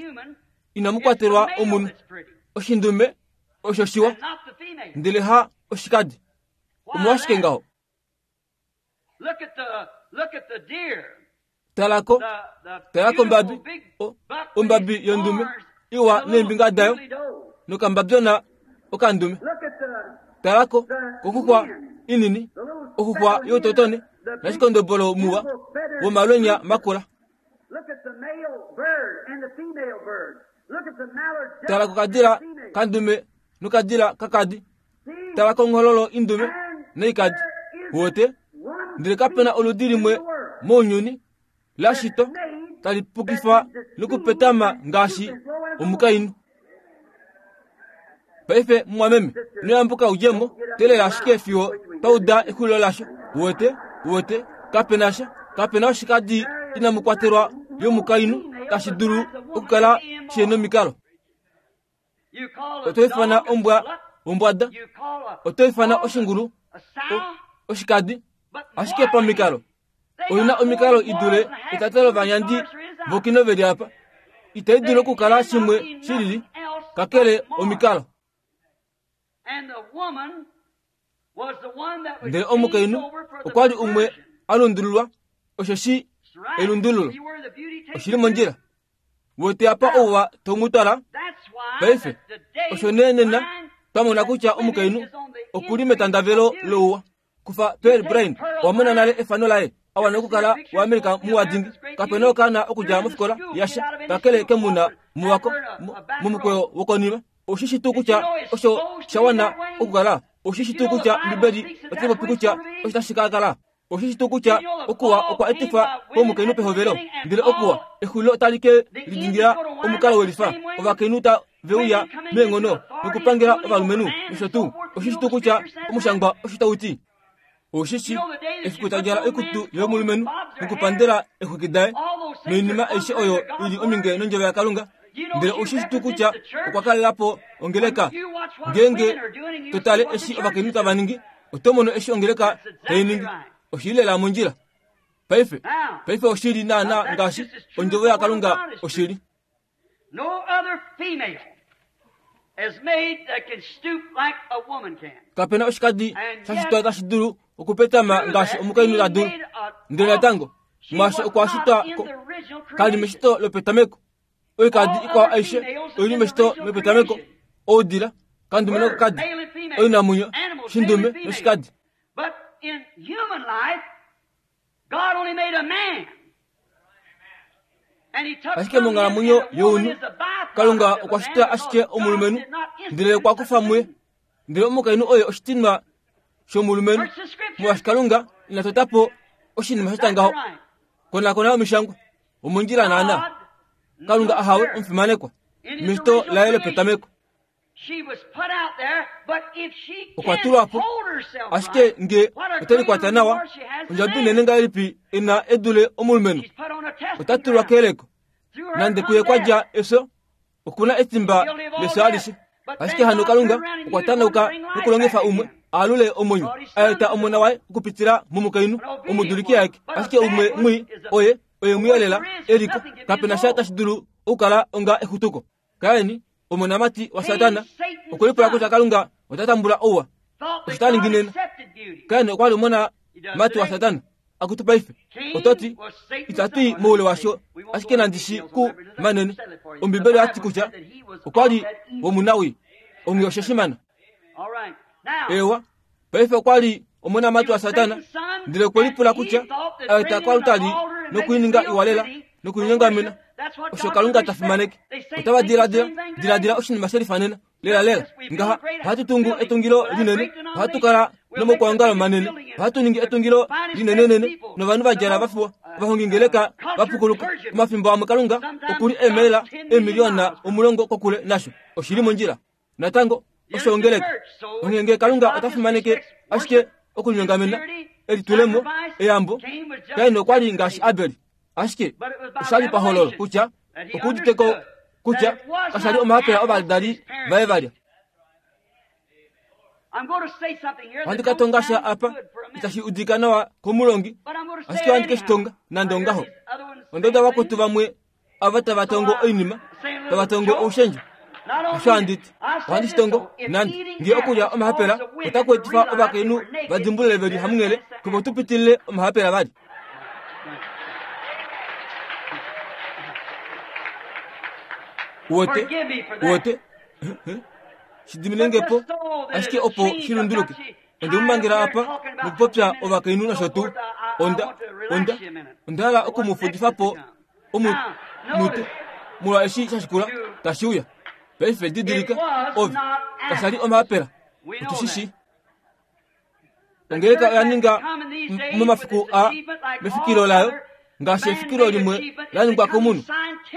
inamu kwatelwa omunhu. Oshindume osho shiwa, ndele ha oshikadi. Omolwashike ngaho? Talako, talako ombabi, ombabi yondume iwa neembinga dayo nokambabyona okandume. Talako kokuxwa inini, okuxwa youtotone nashikondobolo muwa womalwenya makula. Tala kokadila kandume nokadila kakadi. Tala konghololo indume noikadi. Wote, ndele kapena oludi limwe mounyuni lashito tali pukifa nokupetama ngaashi omukainhu. Paife mumwameme, ino udjemo, teelela ashike fiyo twa uda exulilo lasho. Uwete, uwete, kapena sha, kapena oshikadi inamu kwatelwa yomukainhu tashi dulu okukala shihena omikalo. Oto ifana ombwa ombwada, oto ifana oshingulu oshikadi, ashike pamikalo oina omikalo idule etata lovanyandi vokino veli apa. Itai dulu okukala shimwe shilili kakele omikalo. Ndele omukainhu okwa li umwe a lundululwa, osheshi elundululo oshili mondjila. Wete apa ouwa tomutwala paife osho nee nena twamona kutya omukainhu okuli metandavelo louwa. Kufa Pearl Brain owamona nale efano laye awana okukala waAmerika muwadingi, kapena okaana okudja mofikola yasha kakele kemuna muwako momukweyo wokonima. Oshishi tuu kutya osho shawana okukala? Oshishi tuu kutya Ombibeli otai popi kutya osho tashi ka kala? Oshishi tuu kutya okuwa okwa etifwa komukainhu pehovelo, ndele okuwa exulilo otali ke lidingila omukalo welifa, ovakainhu ta veuya meenghono nokupangela ovalumenhu nosho tuu. Oshishi tuu kutya omushangwa osho tau ti? Oshishi efiku tadjala oikutu yomulumenhu nokupandela exwiki daye noinima aishe oyo ili ominge nondjovo yaKalunga. Ndele oshishi tuu kutya okwa kalelapo ongeleka. Ngeenge totale eshi ovakainhu tava ningi, oto mono eshi ongeleka tai ningi. Oshili lela mondjila. Paife, paife oshili naana ngaashi ondjovo yaKalunga oshili. Kapena oshikadi shashitwa tashi dulu okupetama ngaashi omukainhu ta dulu. Ndele natango mwaashi okwa shitwa kali meshito lopetameko. Oikadi ikwao aishe oili meshito lopetameko. Oudila, kandume nokakadi, oinamwenyo, shindume noshikadi. Ashike monghalamwenyo younhu Kalunga okwa shita ashike omulumenhu, ndele okwa kufa muye. Ndele omukainhu oye oshitinwa shomulumenhu, molwaashi Kalunga ina tota po oshinima sha ngaho. Konakona omishangwa omondjila naana. Kalunga ahawe omufimanekwa meshito laye lopetameko. Okwa tulwa po, ashike nge otelikwata nawa, ondjabi inene ngahelipi ina edule omulumenhu. Ota tulwa keyeleko, nande kuye kwa dja efyo, okuna etimba lefyo alishe. Ashike hano Kalunga okwa tanauka nokulongifa umwe alule omwenyo, aeta omona waye okupitila momukainhu omuduliki aeke. Ashike umwe mwii oye oye mwiyelela eliko, kapena sha tashi dulu okukala onga exutuko. Kaini omonamati waSatana okwelipula kutya Kalunga ota tambula ouwa, osho ta ningi nena. Kaini okwa li omonamati waSatana akutu paife ototi itatu moule washo, ashike nandishi ku manene. Ombibeli oyati kutya okwa li womunawi ongi osheshimana. Ewa paife okwa li omonamati waSatana, ndele okwelipula kutya aeta kwalutali nokuininga iwalela nokuinyongamena osho Kalunga ta fimaneke. Otava diladila diladila oshinima shelifanena lela lela ngaha ohatu tungu etungilo linene, ohatu kala nomokwaongalo manene, ohatu ningi etungilo linenenene novanhu va djala vafiwa ovahongingeleka vapukuluka. Omafimbo amwe Kalunga okuli eemela eemiliyona omulongo kokule nasho. Oshili mondjila natango osho ongeleka. Onghee Kalunga ota fimaneke ashike okulinyongamena elitulemo eyambo. Kaini okwa li ngaashi Abel, ashike oshali pahololo kutya okuuditeko kutya kashali omahapela ovadali vaye valya. Ohandi ka tonga sha apa itashi udika nawa komulongi, ashike ohandi ke shi tonga nande ongaho. Ondoda vakwetu vamwe ava tava tongo oinima, tava tongo oushendjo. Osho handiti ohandi shi tongo nande nge okulya omahapela otaku etifa ovakainhu va dimbulule veli hamunghele kopo tu pitilile omahapela vali. Uwete, uwete, shidiminengepo ashike opo shilunduluke. Onde mumangela apa nokupopya ovakainhu nosho tuu. Onda, onda, onda hala okumufudifapo omunute molwa eshi shashikula tashi uya. Paife didilika ove kashali omahapela otushishi. Ongeleka oya ninga momafiku a mefikilo layo ngaashi efikilo limwe la ningwa komunhu.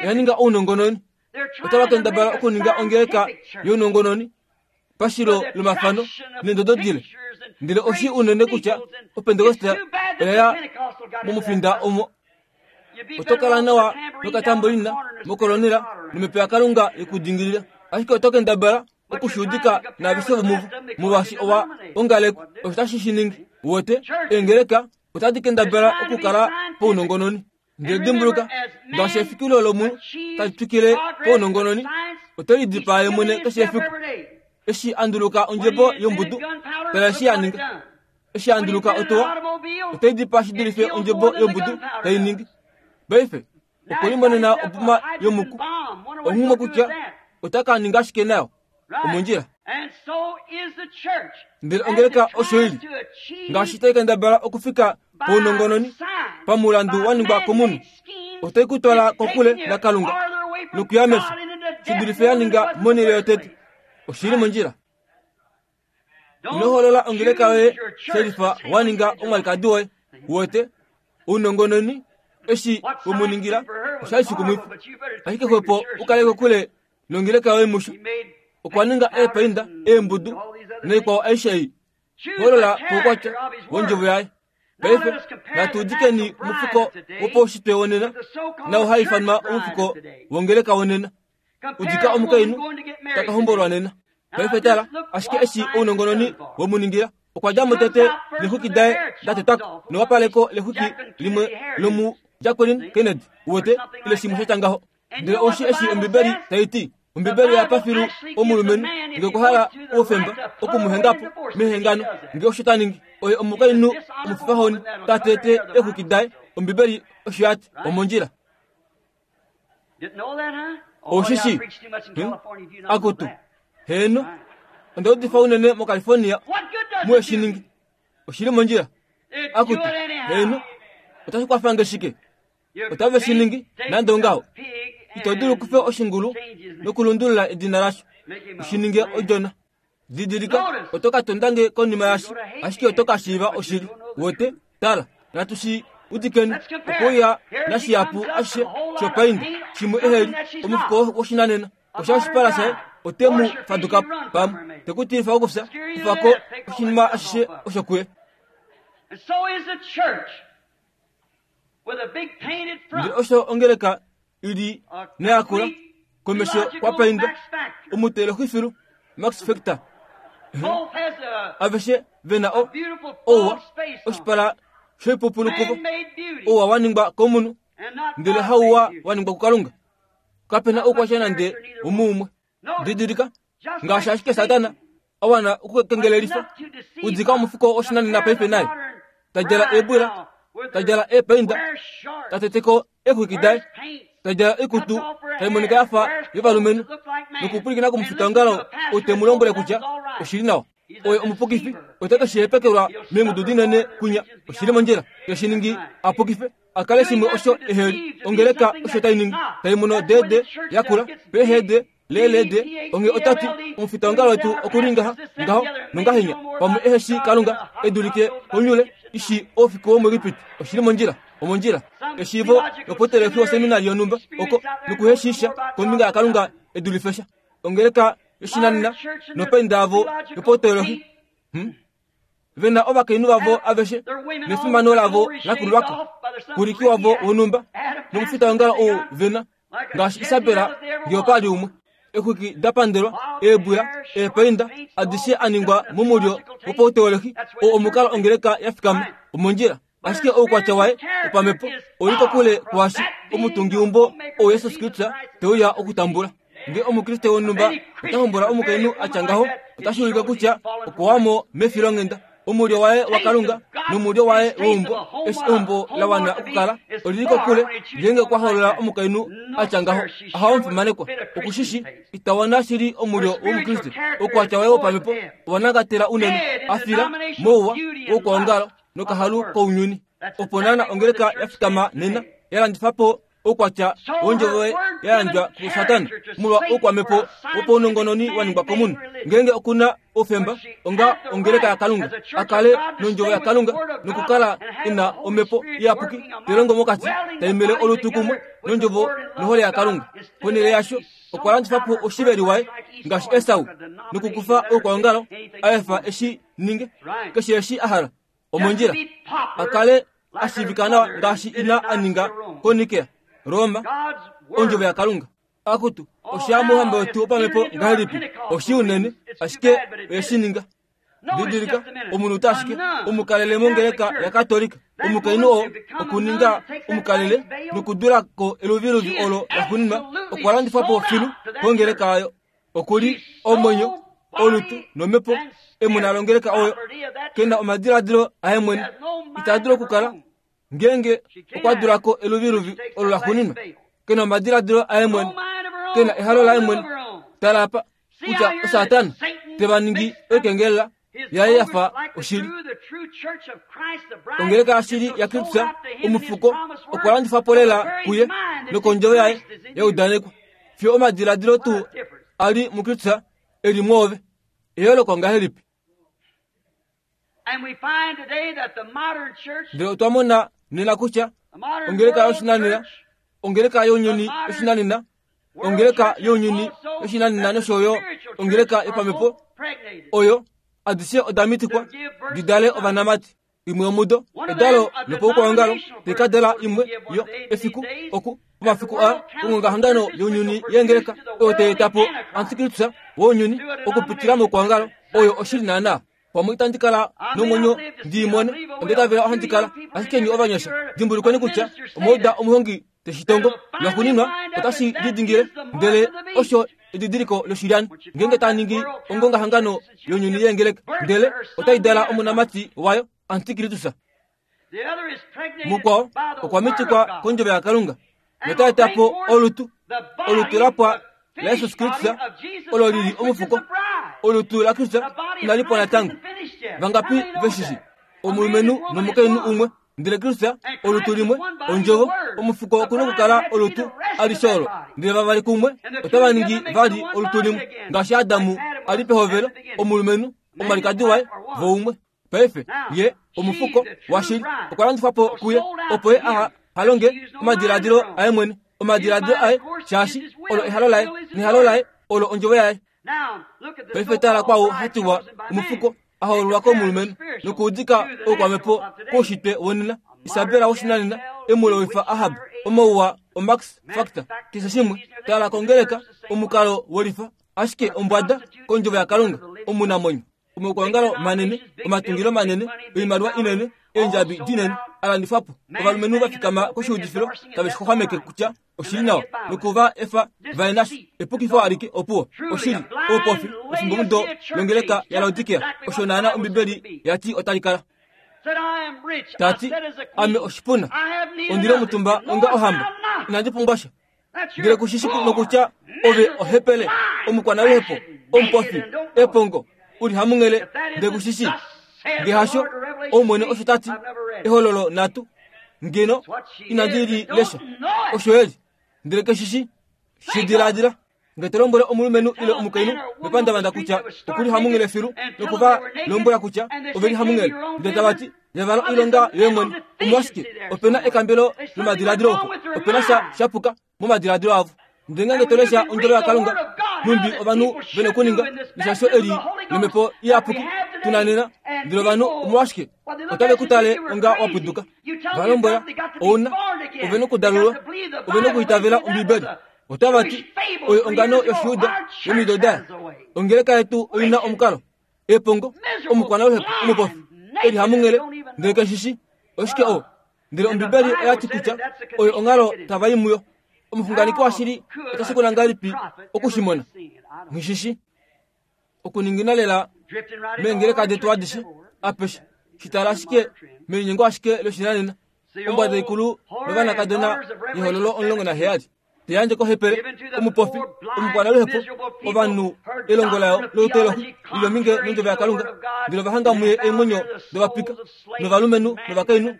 Oya ninga ounongononi. Otava kendabala okuninga ongeleka younongononi pashilo lomafano neendodo dile. Ndele oshi unene kutya opentekoste oya momufinda omo. Oto kala nawa nokatambolina mokolonela nomhepo yaKalunga yekudingilila. Ashike oto kendabala okushuudika naaveshe vomuvo molwaashi owa ongalekwa. Osho tashi shi ningi. Wote eengeleka otadi kendabala okukala pounongononi. Ndele dimbuluka, ngaashi efikilo lomunhu tali twikile pounongononi, ote lidipaa ye mwene keshe efiku. Eshi a nduluka ondjebo yombudu, tala eshi a ninga. Eshi a nduluka otowa, ote lidipaa shi dulife ondjebo yombudu tai ningi. Paife okwe limonena oboma yomuku. Onghumwe kutya ota ka ninga ashike nayo omondjila. Ndele ongeleka osho ili ngaashi tai kendabala okufika pounongononi pamulandu wa ningwa komunhu, otai kutwala kokule naKalunga nokuya mefyo shi dulife ya ninga monhele yotete. Oshili mondjila. Ino hoolola ongeleka yoye shelifa wa ninga omwalikadi woye. Wote ounongononi eshi wemuningila oshali shikumwifa, ashike xwepo ukale kokule nongeleka yoye musho. Okwa ninga eepainda, eembudu noikwao aishe ei. Hoolola poukwatya wondjovo yaye. Paife natu udikeni omufuko wopaushitwe wonena nau haifanwa omufuko wongeleka wonena. Udika omukainhu taka hombolwa nena. Paife tala, ashike eshi ounongononi wemuningila, okwa dja mo tete nexwiki daye da tetwako newapaleko lexwiki limwe lomu Jacqueline Kennedy. Wote ile shimwe sha ngaho. Ndele oshi eshi Ombibeli tai ti, Ombibeli oya pa filu omulumenhu nge okwa hala oufemba okumuhengapo mehengano, nge osho ta ningi. Oye omukainhu omufifahoni ta tete exwiki daye. Ombibeli osho ya ti, omondjila. Oshishi akutu heno onda udifa unene moCalifornia muye shi ningi. Oshili mondjila. Akutu heno otashi kwafange shike? Otave shi ningi nande ongaho. Ito dulu okufa oshingulu nokulundulula edina lasho ushi ninge odjona. Didilika, oto ka tondange konima yasho, ashike oto ka shiiva oshili. Wote tala, natu shi udikeni okuya nashihapu ashishe shopainda shimwe eheli omufuko woshinanena. Osha oshipala shaye ote mu faduka pamwe tekutilifa okufya kufako oshinima ashishe osho kuye. Ndele osho ongeleka ili neyakula komesho kwa paindwa omuteloxifilu Max Factor. Aveshe vena o ouwa oshipala shoipupulukuvo, ouwa wa ningwa komunhu ndele hauwa wa ningwa kuKalunga. Kapena oukwatya nande umuumwe. Didilika, ngaashi ashike Satana a wana okukengelelifa udika omufuko oshinanena paife naye tadjala eebwila, tadjala eepainda, tateteko eexwiki daye, tadjala oikutu taimonika yafa yovalumenhu nokupwilikina komufitaongalo ou te mu lombwele kutya oshili nawa. Oye omupukifi ote ke shi hepekelwa meengudu dinene kunya. Oshili mondjila. Te shi ningi a pukife a kale shimwe osho eheli. Ongeleka osho tai ningi tai mono dede yakula pehede lelede. Onge otati omufitaongalo wetu okuli ngaha ngaho nongahenya pamwe eheshi Kalunga edulike konyule ishi oufiku womuEgipiti. Oshili mondjila. Omondjila. Eshiivo lopoteleki woseminari yonhumba oko nokuheshisha kombinga yaKalunga edulifesha. Ongeleka yoshinanena nopainda yavo yopoteolohi. Hmm? Vena ovakainhu vavo aveshe nefimano lavo lakululwako kuliki wavo wonhumba nomufitaongalo ou vena ngaashi Isabela nge opali umwe. Exwiki dapandelwa, eebwila, eepainda adishe a ningwa momulyo wopauteolohi oo omukalo ongeleka ya fikama omondjila. Ashike oukwatya waye wopamhepo oli kokule kwaashi omutungiumbo ou Jesus Kristus te uya okutambula. Nge omukriste wonhumba ota hombola omukainhu a tya ngaho, otashi ulike kutya okwawamo mefilonghenda. Omulyo waye waKalunga nomulyo waye weumbo, eshi eumbo la wana okukala olili kokule. Ngeenge okwa hoolola omukainhu a tya ngaho, ohaomufimanekwa. Okushishi itawana shili omulyo womukriste. Oukwatya waye wopamhepo owanangatela unene, a fila mouwa woukwaongalo nokahalu kounyuni. Opo naana ongeleka ya fikama nena ya landifa po oukwatya wondjovo ya yandjwa kuSatana molwa oukwamhepo wopaunongononi wa ningwa komunhu. Ngeenge okuna oufemba onga ongeleka yaKalunga, a kale nondjovo yaKalunga nokukala ina omhepo iyapuki telongo mokati taimele olutu kumwe nondjovo nohole yaKalunga. Ponhele yasho okwa landifa po oshiveli waye ngaashi Esau nokukufa oukwaongalo a efa eshi ninge keshe eshi a hala omondjila a kale a shiivika nawa ngaashi ina a ninga koNikea, Roma, ondjovo yaKalunga. Akutu osha mouhamba wetu wopamhepo ngahelipi oshi unene ashike oye ninga. Didilika omunhu ashike omukalele mongeleka yaKatolika omukainhu oo okuninga omukalele nokudula ko eluviluvi olo laxuuninwa okwa landifwa po filu kongeleka ayo. Okuli omwenyo olutu nomhepo emona longeleka oyo kena omadiladilo aye mwene ita dulu okukala ngeenge okwa dula ko eluviluvi olo laxuuninwa kena omadiladilo aye mwene kena ehalo laye mwene. Tala apa kutya Satana teva ningi oikengelela yaye yafa oshili. Ongeleka yashili yaKristus omufuko okwa landifwa po lela kuye nokondjovo yaye yaudanekwa fiyo omadiladilo tuu ali muKristus eli mwoove. Eyooloko ngahelipi? Ndele otwa mona nena kutya ongeleka yoshinanena, ongeleka younyuni yoshinanena, ongeleka younyuni yoshinanena nosho yo ongeleka yopamhepo oyo adishe oda mitikwa di dale ovanamati. Imwe yomudo edalo lopaukwaongalo tekadala imwe yo efiku oku pomafiku a ongongahangano younyuni yengeleka oyo taeta po antikristus wounyuni okupitila moukwaongalo oyo oshili naana. Pamwe itandi kala nomwenyo ndiimone ondetavela ohandi kala ashike ni ovanyasha. Dimbulukweni kutya omauda omuhongi teshitongo lwaxuuninwa otashi lidingile ndele osho edidiliko loshilyani ngeenge ta ningi ongongahangano younyuni yengeleka ndele otai dala omonamati wayo antikristus. Mukwao okwa mitikwa kondjovo yaKalunga notaeta po olutu olutu lapwa laYesus Kristus olo lili omufuko. Olutu laKristus inali pwa natango. Vangapi veshishi omulumenhu nomukainhu umwe ndele Kristus olutu limwe ondjovo omufuko okuna okukala olutu alishe olo ndele vavali kumwe otava ningi vali olutu limwe ngaashi Adamu ali pehovelo omulumenhu omwalikadi waye voumwe. Paife ye omufuko washili okwa landifwa po kuye opo ye aha halonge omadiladilo aye mwene omadiladilo aye shaashi olo ehalo laye nehalo laye olo ondjovo yaye. Paife tala kwao hatiwa omufuko ahoololwa komulumenhu nokuudika oukwamhepo koushitwe wonena. Isabela woshinanena emulowifa Ahab omauwa oMax Factor keshe shimwe. Tala kongeleka omukalo wolifa ashike ombwada kondjovo yaKalunga omunamwenyo. Omaukwaongalo manene omatungilo manene oimaliwa inene eendjabi dinene alandifwa po. Ovalumenhu va fikama koshiudifilo tave shixwaxwameke kutya oshili nawa nokuva efa vaye nasho epukifo alike opuwo oshili oupofi efimbomudo longeleka yaLaodikea osho naana Ombibeli yati otali kala. Tati ame oshipuna ondile omutumba onga ohamba inandi pumbwa sha. Ndele kushishi nokutya ove ohepele omukwanaluhepo omupofi epongo uli hamunghele ndele kushishi ngehasho omwene osho tati ehololo natu ngeno inandi li lesha osho eli ndele keshishi shidiladila. Nge lombwele omulumenhu ile omukainhu mepandavanda kutya okuli hamunghele filu nokuva lombwela kutya oveli hamunghele ndele tavati yavala oilonga yoye mwene omolwashike opena ekambelo lomadiladilo opo opena sha shapuka momadiladilo avo. Ndele ngeenge tolesha ondjovo yaKalunga numbi ovanhu vene okuninga neshasho eli lomhepo iyapuki tuna nena ndele ovanhu omolwashike otave kutale onga wapuduka. Valombwela ouna ove nokudalulwa ove nokuitavela Ombibeli. Otava ti oyo ongano yoshiuda yomido daye. Ongeleka yetu oina omukalo epongo omukwanaluhepo omupofi eli hamunghele ndele keshishi oshike o ndele Ombibeli oyati kutya oyo onghalo tava i muyo. Omuxunganeki washili otashi kula ngahelipi okushimona ngishishi okuningina lela meengeleka detu adishe apeshe shitala ashike melinyengo ashike loshinanena ombwada ikulu novanakadona yehololo omulongo naheyali teyandje kohepele omupofi omukwanaluhepo ovanhu elongo layo loutelo lilominge nondjovo yaKalunga ndele ovahanga muye eemwenyo dovapika novalumenhu novakainhu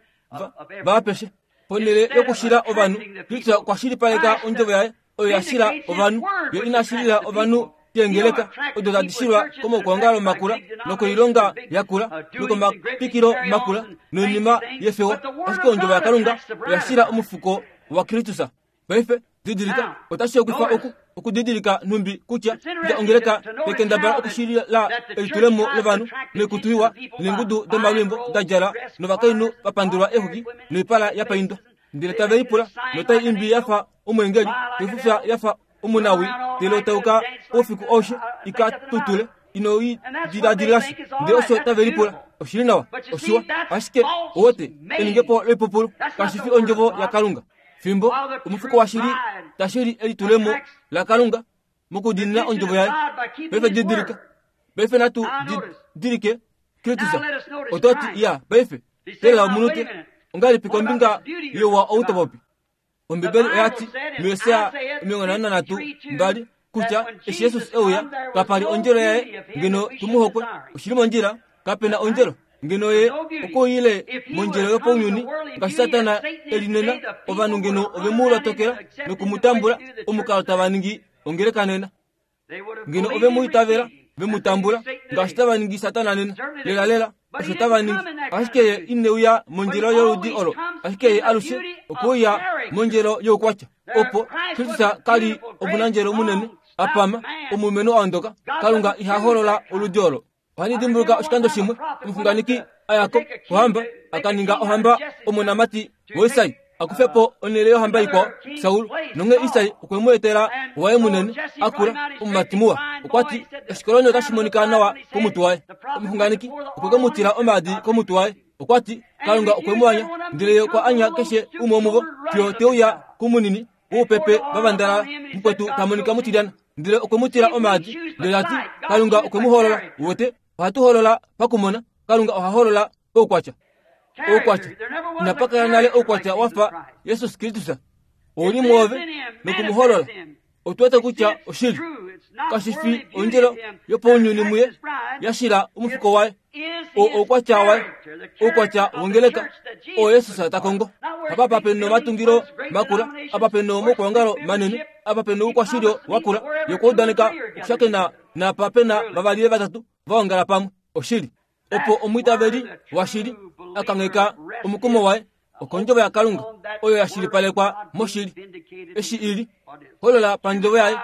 vaapeshe. Ponhele yokushila ovanhu Kristus okwa shilipaleka ondjovo yaye oyo yashila ovanhu yo inashilila ovanhu keengeleka odo tadi shilwa komaukwaongalo makula nokoilonga yakula nokomapikilo makula noinima yefewa, ashike ondjovo yaKalunga oya shila omufuko waKristus. Paife didilika, otashi hokwifa oku okudidilika nhumbi kutya kutya ongeleka tekendabala okushilila elitulemo lovanhu noikutu iwa neengudu domalwimbo da djala novakainhu va pandulwa eexwiki noipala ya paindwa, ndele tave lipula notai imbi yafa omweengeli, taifufya yafa omunawi, ndele otauka oufiku aushe ika tutule ino i diladililashi, ndele osho tave lipula oshili nawa oshiwa, ashike owote eningepo loipupulu kashi fi ondjovo yaKalunga. Fimbo omufuko washili tashili elitulemo laKalunga mokudiinina ondjovo yaye. Paife didilika, paife natu didilike Kristus. Ototi ya paife telela omunute ongahelipi kombinga yowa outopopi? Ombibeli oyati muYesaya omilongo nhano nanhatu mbali kutya eshi Jesus euya kapali ondjelo yaye ngeno tumuhokwe. Oshili mondjila, kapena ondjelo ngeno ye okoile mondjelo yopounyuni ngaashi Satana elinena ovanhu ngeno ovemu lotokela nokumutambula omukalo tava ningi ongeleka nena. Ngeno ovemu itavela vemu tambula ngaashi tava ningi Satana nena. Lela lela osho tava ningi, ashike ye ineuya mondjelo yoludi olo, ashike ye alushe okuuya mondjelo youkwatya. Opo Kristus kali omunandjelo munene apama omulumenhu a ondoka. Kalunga iha holola oludi olo. Ohandi dimbuluka oshikando shimwe omuxunganeki ayako kohamba akaninga ohamba omonamati waIsai akufepo onhele yohamba ikwao Saul, nonge Isai okwe mu etela waye munene akula omumati muwa. Okwati oshikoloni otashi monika nawa komutwe waye. Omuxunganeki okwe ke mu tila omaadi komutwe waye. Okwati Kalunga okwe mu anya, ndele ye okwa anya keshe umwe womuvo fiyo teuya kumunini woupepe vavandalala mukwetu ta monika mutilyana, ndele okwe mu tila omaadi, ndele ati Kalunga okwe mu holola. Wote ohatu holola pakumona, Kalunga oha holola oukwatya. Oukwatya inapa kala nale oukwatya wafa Jesus Kristus ouli mwoove nokumuholola. Otu wete kutya oshili kashi fi ondjelo yopounyuni muye yashila omufuko waye, o oukwatya waye, oukwatya wongeleka oo Jesus ta kongo. Apa pape nomatungilo makula, apa pe nomaukwaongalo manene, apa pe noukwashilyo wakula, yokuudaneka okushakena napa pena vavali ile vatatu vaongala pamwe. Oshili opo omwiitaveli washili akangheka omukumo waye okondjovo yaKalunga oyo yashilipalekwa moshili eshi ili holola pandjovo yaye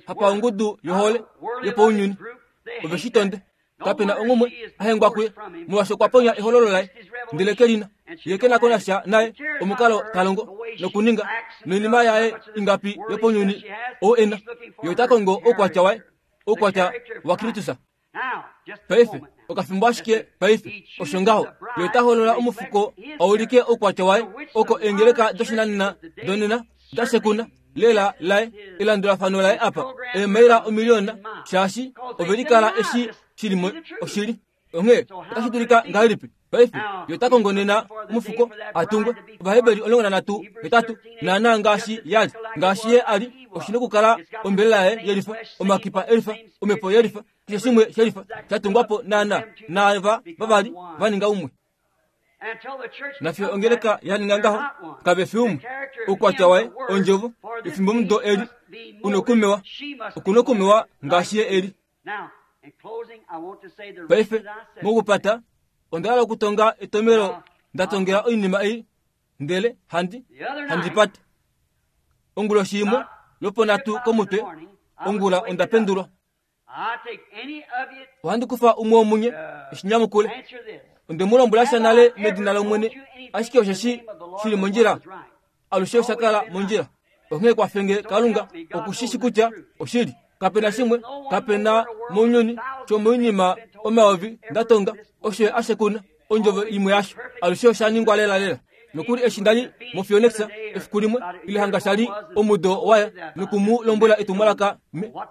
hapa ongudu yohole yopounyuni ove shi tonde. Kapena ongumwe ahengwa kuye molwaashi okwa ponya ehololo laye, ndele kelina ye kena ko nasha naye omukalo talongo nokuninga noinima yaye ingapi yopounyuni oo ena. Ye ota kongo oukwatya waye, oukwatya waKristus. Paife okafimbo ashike paife osho ngaho ye ota holola omufuko aulike oukwatya waye oko eengeleka doshinanena donena dashekuna lela laye elandulafano laye apa eemaila omiliona shaashi ove likala eshi shili oshili. Onghee otashi dulika ngahelipi paife ye ota kongo nena omufuko atungwe. Ovaheberi omulongo nanhatu hetatu naana ngaashi yali ngaashi ye ali oshina okukala ombelela yaye yelifa, omakipa elifa, omhepo yelifa, keshe shimwe shelifa shatungwapo naana naava vavali vaninga umwe. Nafiyo ongeleka yaninga ngaho kave fi umwe. Oukwatya waye ondjovo efimbo mudo eli unokumewa okunokumewa ngaashi ye eli. Paife mokupata onda hala okutonga etomelo ndatongela oinima ei, ndele handi handi pate onguloshi imwe lwoponhatu komutwe ongula onda pendulwa. Ohandi kufa umwe womunye eshinyamukule. Onde mu lombwela sha nale medina lOmwene, ashike osheshi shili mondjila alushe osha kala mondjila. Onghee kwafenge Kalunga okushishi kutya oshili. Kapena shimwe, kapena mounyuni shomoinima omayovi ndatonga osho ashekuna ondjovo imwe yasho alushe osha ningwa lela lela. Nokuli eshi ndali moFionex efiku limwe ile hanga shali omudo waya nokumu lombwela etumwalaka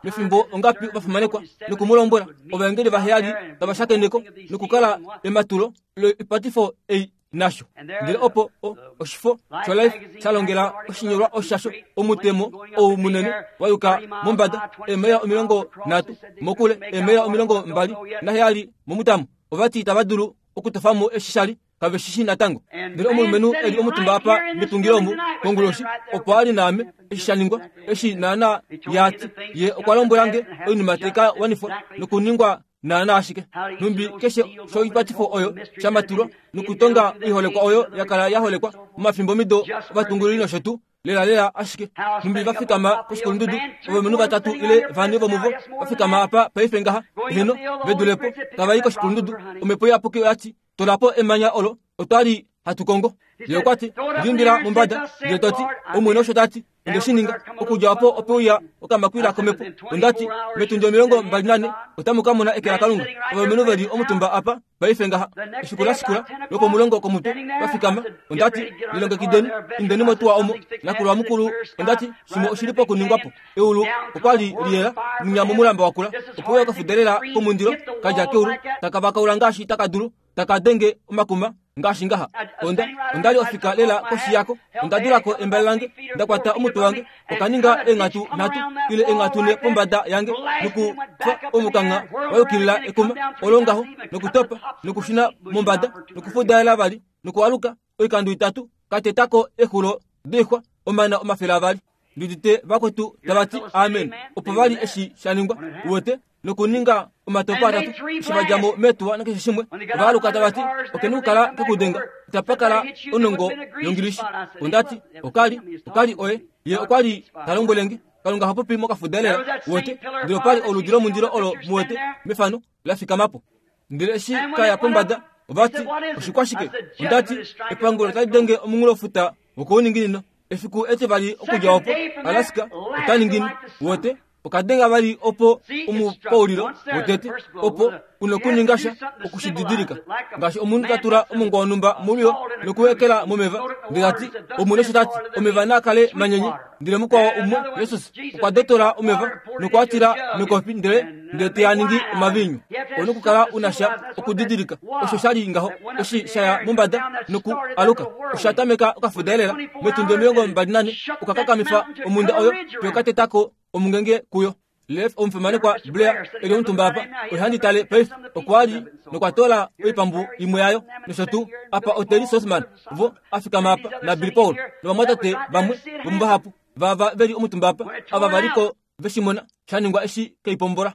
mefimbo ongapi vafimanekwa nokumu lombwela ovaengeli vaheyali tava shakeneko nokukala ematulo loipatifo ei nasho. Ndele opo oshifo shoLife shalongela oshinyolwa oshasho omutemo ou munene wayuka mombada eemaila omilongo nhatu mokule eemaila omilongo mbali naheyali momutamo. Ovati itava dulu okutofamo eshi shali Kave shi shi natango. Ndele omulumenhu eli omutumba apa metungilo omu konguloshi opo ali naame eshi sha ningwa eshi naana yati ye okwa lombwela nge oinima tai ka wanifwa nokuningwa naana ashike numbi keshe shoipatifo oyo shamatulwa nokutonga oiholekwa oyo yakala yaholekwa momafimbo mido ovatungululi nosho tuu lela lela ashike numbi vafikama koshikulundudu ovalumenhu vatatu ile vane vomuvo vafikama apa paife ngaha heno vedulepo tavai koshikulundudu omhepo iyapuki oyati tolapo emanya olo otwali hatu kongo. Ye okwati liumbila mombada ndele toti Omwene osho tati onde shi ninga okudja opo opeuya okamakwila komhepo. Ondati metundi omilongo mbali nane otamu ka mona eke laKalunga. Ovalumenhu veli omutumba apa paife ngaha efiku la shikula lwopomulongo komutwe vafikama. Ondati lilongekideni indeni motuwa omo nakulwa mukulu. Ondati shimwe oshili pokuningwapo. Eulu okwali liyela mwinya momulamba wakula opeuya okafudelela komundilo kadja keulu takavakaula ngaashi takadulu takadenge omakuma ngaashi ngaha. Onda ondali ofika lela koshi yako onda dulako embale lange ndakwata omutwe wange okaninga enghatu nhatu ile enghatu ne pombada yange nokufa omukangha wayukilila ekuma olongaho nokutopa nokushuna mombada nokufudaela vali nokualuka oikando itatu katetako exulo doixwa omana omafele avali. Ndudite vakwetu tavati amen. Opo vali eshi sha ningwa uwete nokuninga omatopo atatu eshi vadjamo metuwa nakeshe shimwe ovaaluka tavati okeni okukala kekudenga itapakala onongo yongilishi. Ondati okali okali oye ye okwali talombwelenge Kalunga hapopi mokafudelela uwete ndele opali oludi lomundilo olo muwete mefano lafikamapo. Ndele eshi kaya pombada ovati oshikwashike. Ondati epangulo otali denge omunghulofuta wokouninginino. Efiku etivali okudja opo Alaska otaningini uwete okadenga vali opo omupaulilo wotete opo unokuninga sha okushididilika ngaashi omunhu tatula omongwa wonhumba mulio nokuwekela momeva. Ndele tati Omwene osho tati omeva naa kale manyenye. Ndele mukwao umwe Jesus okwa dotola omeva nokwatila mekopi ndele ndele teyaningi omavinyu. Onokukala una sha okudidilika osho shali ngaho eshi shaya mombada noku aluka osha tameka okafudelela metundi omilongo mbali nane okakakamifa omunda oyo yokatetako omungenge kuyo. Lef omufimanekwa Blair eli omutumba apa oihandi tale paife okwali nokwatola oipambu imwe yayo nosho tuu apa Oteli Sosman vo afikama apa na Billy Paul novamwatate vamwe vomuvahapu vava veli omutumba apa ava valiko veshimona shaningwa eshi keipombola.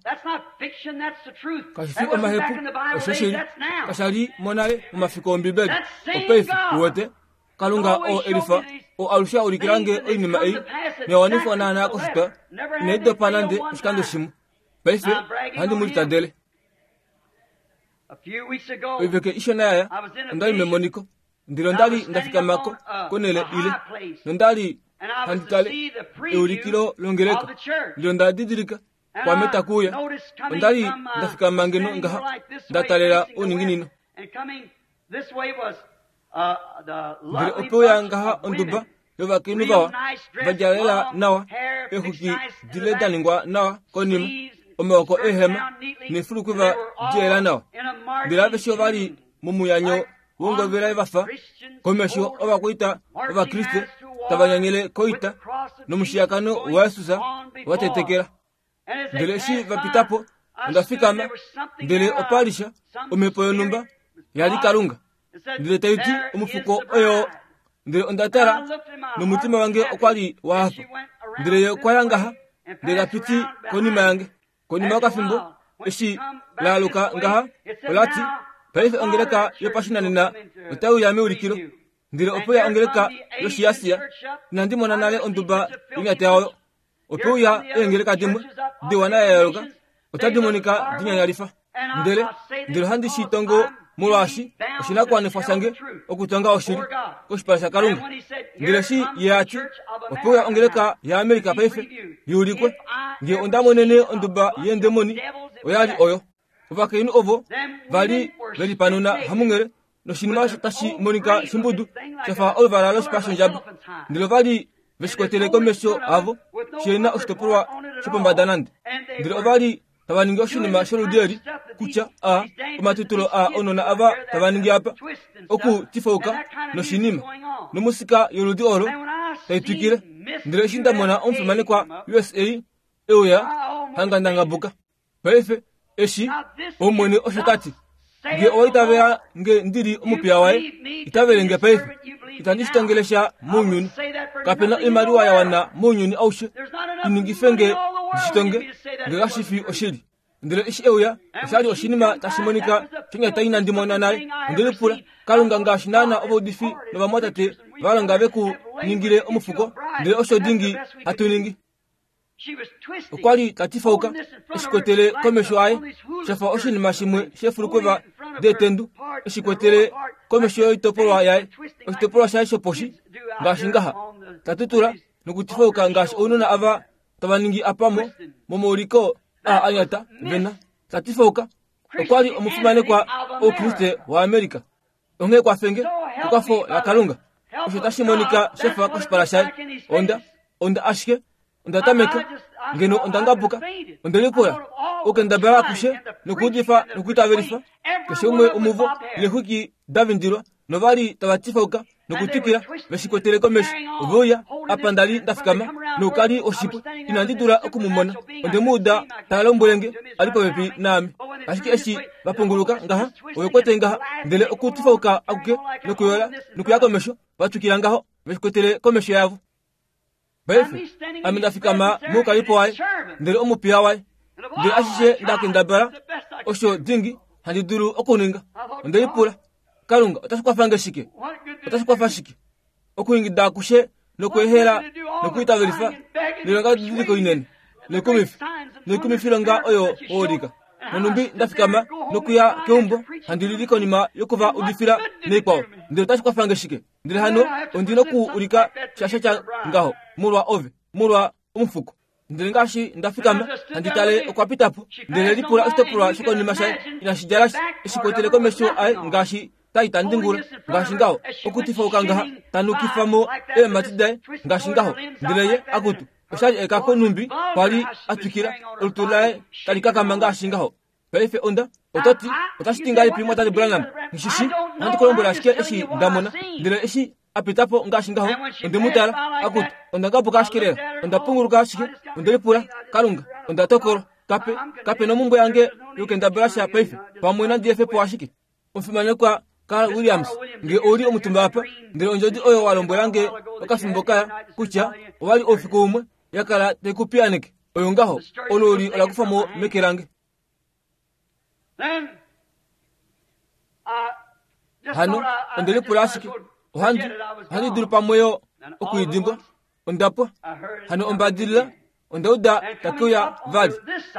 Kashi fi omahepu oshoshili kashali monale momafiku Ombibeli. Opaife uwete Kalunga o elifa o alushe aulikilange oinima ei noyawanifwa naana koshitwa inai dopa nande oshikando shimwe. Paife ohandi mu litadele. Oiveke ishona yaya ondali memoniko ndele ondali ndafikamako konele ile nondali handi tale eulikilo longeleka ndele onda didilika kwame takuuya. Ondali ndafikama ngeno ngaha ndatalela ouninginino. Ndele opeuya ngaha onduba yovakainhu vawa vadjalela nawa eexwiki dile da ningwa nawa konima omaoko eehema neefulukwiva diyela nawa. Ndele aveshe ovali momuyanyo wongovela vafa komesho ovakwaita Ovakriste tava nyanyele koita nomushiyakano waYesus watetekela. Ndele eshi vapitapo onda fikama ndele opalisha omhepo yonhumba yali Kalunga ndele taiti omufuko oyo. Ndele onda tala nomutima wange okwali wahafa. Ndele ye okwaya ngaha ndele tapiti konima yange. Konima yokafimbo eshi laaluka ngaha olati paife ongeleka yopashinanena otaiuya meulikilo. Ndele opeuya ongeleka yoshiasia inandi mona nale onduba yonyata yayo. Opeuya eengeleka dimwe diwa nayayooloka otadi monika dinyanyalifa. Ndele ndele ohandi shi tongo molwaashi oshinakuwanifwa shange okutonga oshili koshipala shaKalunga. Ndele eshi ye ati opeuya ongeleka yaAmerika paife yuulikwe nge onda monene onduba yeendemoni oyali oyo. Ovakainhu ovo vali velipanuna hamunghele noshinima osho tashi monika shimbudu shafa oluvala loshipa shondjaba. Ndele ovali veshikwatele komesho avo shena oshitopolwa shopombada nande. Ndele ovali tava ningi oshinima sholudi eli kutya a omatutulo a ounona ava tava ningi apa okutifauka noshinima nomusika yoludi olo taitwikile. Ndele eshi ndamona omufimanekwa U S A euya hanga ndangabuka. Paife eshi Omwene osho tati Nge owa itavela nge ndili omupiya waye, itavele nge paife. Itandi shitongelesha mounyuni. Kapena oimaliwa ya wana mounyuni aushe iningife nge ndishitonge nge kashifi oshili. Ndele eshi euya oshali oshinima tashi monika shonyata inandi mona naye. Ondelipula Kalunga ngaashi naana ovaudifi novamwatate va longa veku ningile omufuko, ndele osho dingi hatu ningi. Okwa li ta tifauka eshikwetele komesho aye shafa oshinima shimwe shefulukweva detendu eshikwetele komesho yoitopolwa yaye, oshitopolwa shaye shoposhi ngaashi ngaha tatutula nokutifauka ngaashi ounona ava tava ningi apamo momauliko a anyata vena tatifauka. Okwa li omufimanekwa oukriste waAmerika. Onghee kwafenge ekwafo laKalunga osho tashi monika shafa koshipala shaye. Onda onda ashike onda tameka ngeno onda ngabuka ondelipula okendabala akushe nokuudifa nokuitavelifa keshe umwe omuvo lexwiki davindilwa novali tava tifauka nokutwikila veshikwetele komesho. Oveuya apa ndali ndafikama noukali oshipo inandi dula okumumona. Ondemuuda ta lombwelenge ali popepi naame, ashike eshi vapunguluka ngaha ovekwete ngaha ndele okutifauka akuke nokuyola nokuya komesho vatwikila ngaho veshikwetele komesho yavo. Paife ame ndafikama moukalipo waye ndele omupiya waye, ndele ashishe ndakendabala osho dingi handi dulu okuninga. Ondelipula Kalunga otashi kwafa shike? Otashi kwafa shike okuingida akushe nokuehela nokuitavelifa noilonga didiliko inene noikumifi noikumifilonga oyo oolika. Nonumbi ndafikama nokuya keumbo handi lili konima yokuva udifila neikwao, ndele otashi kwafange shike? Ndele hano ondi nokuulika shasha sha ngaho molwa ove, molwa omufuko. Ndele ngaashi ndafikama handi tale okwa pitapo, ndele lipula oshitopolwa shokonima shaye inashi djala eshikwetele komesho aye ngaashi taitandingula ngaashi ngaho okutifauka ngaha tanukifamo eemati daye ngaashi ngaho. Ndele ye akutu oshali ekako numbi kwali atwikila olutu laye tali kakama ngaashi ngaho. Paife onda otati otashi ti ngahelipi mwatate Branham? Ngishishi ohandi kulombwela ashike eshi ndamona. Ndele eshi apitapo ngaashi ngaho ondemutala akutu onda ngabuka ashike lela, onda punguluka ashike, ondelipula Kalunga onda tokolwa kape kape nomumbwe yange yokendabala sha paife pamwe nandiyefepo ashike. Omufimanekwa Carl Williams nge ouli omutumba apa, ndele ondjodi oyo walombwela nge okafimbo kaya kutya owali oufiku umwe yakala taikupiyaneke oyo ngaho olooli ola kufa mo meke lange. Hano ondelipula ashike ohandi ohandi dulu pamwe okuidimbwa ondapwa. Hano ombadilila ondauda takuya vali,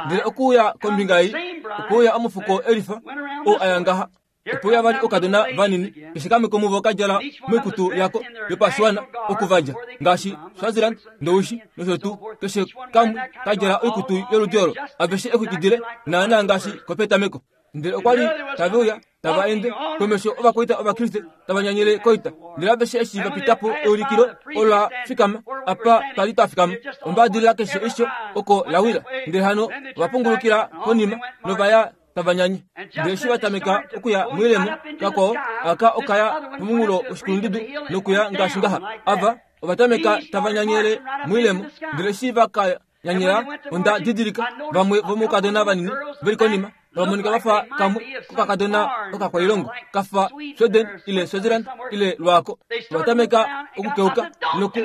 ndele okuuya kombinga ei okuuya omufuko elifa oo aya ngaha. Opo vali okadona vanini keshe kamwe komuvo kadjala moikutu yako yopashiwana okuvadja ngaashi Swaziland, Ndowishi nosho tuu. Keshe kamwe kadjala oikutu yoludi olo aveshe exwikidile naana ngaashi kopetameko. Ndele okwa li taveuya tava ende komesho ovakwaita ovakriste tava nyanyele koita. Ndele aveshe eshi vapitapo eulikilo ola fikama apa twali twafikama ombadilila keshe isho oko lawila. Ndele hano ovapungulukila konima novaya tava nyanye. Ndele eshi vatameka okuya moilemo kakwao aka okaya pomunghulo woshikulundudu nokuya ngaashi ngaha ava ovatameka tava nyanyele moilemo. Ndele eshi vakanyanyela onda didilika vamwe vomoukadona vanini veli konima vamonika vafa kamwe kokakadona okakwailongo kafa Sweden ile Swaziland ile lwako. Vatameka okukeuka noku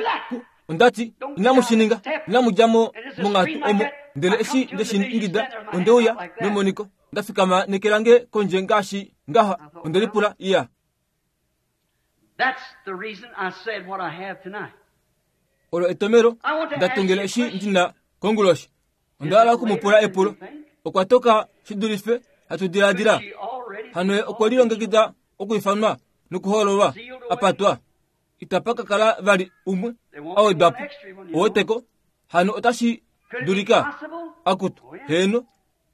ondati inamushininga inamudjamo mongatu omo. Ndele eshi ndeshiingida ondeuya memoniko ndafikama neke lange kondje ngaashi ngaha ondelipula iya. That's the reason I said what I have tonight. Olo etomero ndatongele eshi ndina konguloshi. Ondahala okumupula epulo. Okwa toka shidulife hatu diladila. Hano okwa lilongekida okuifanwa nokuhoololwa apatwa. Itapa kakala vali umwe awedwapo oweteko. Hano otashi dulika akutu heno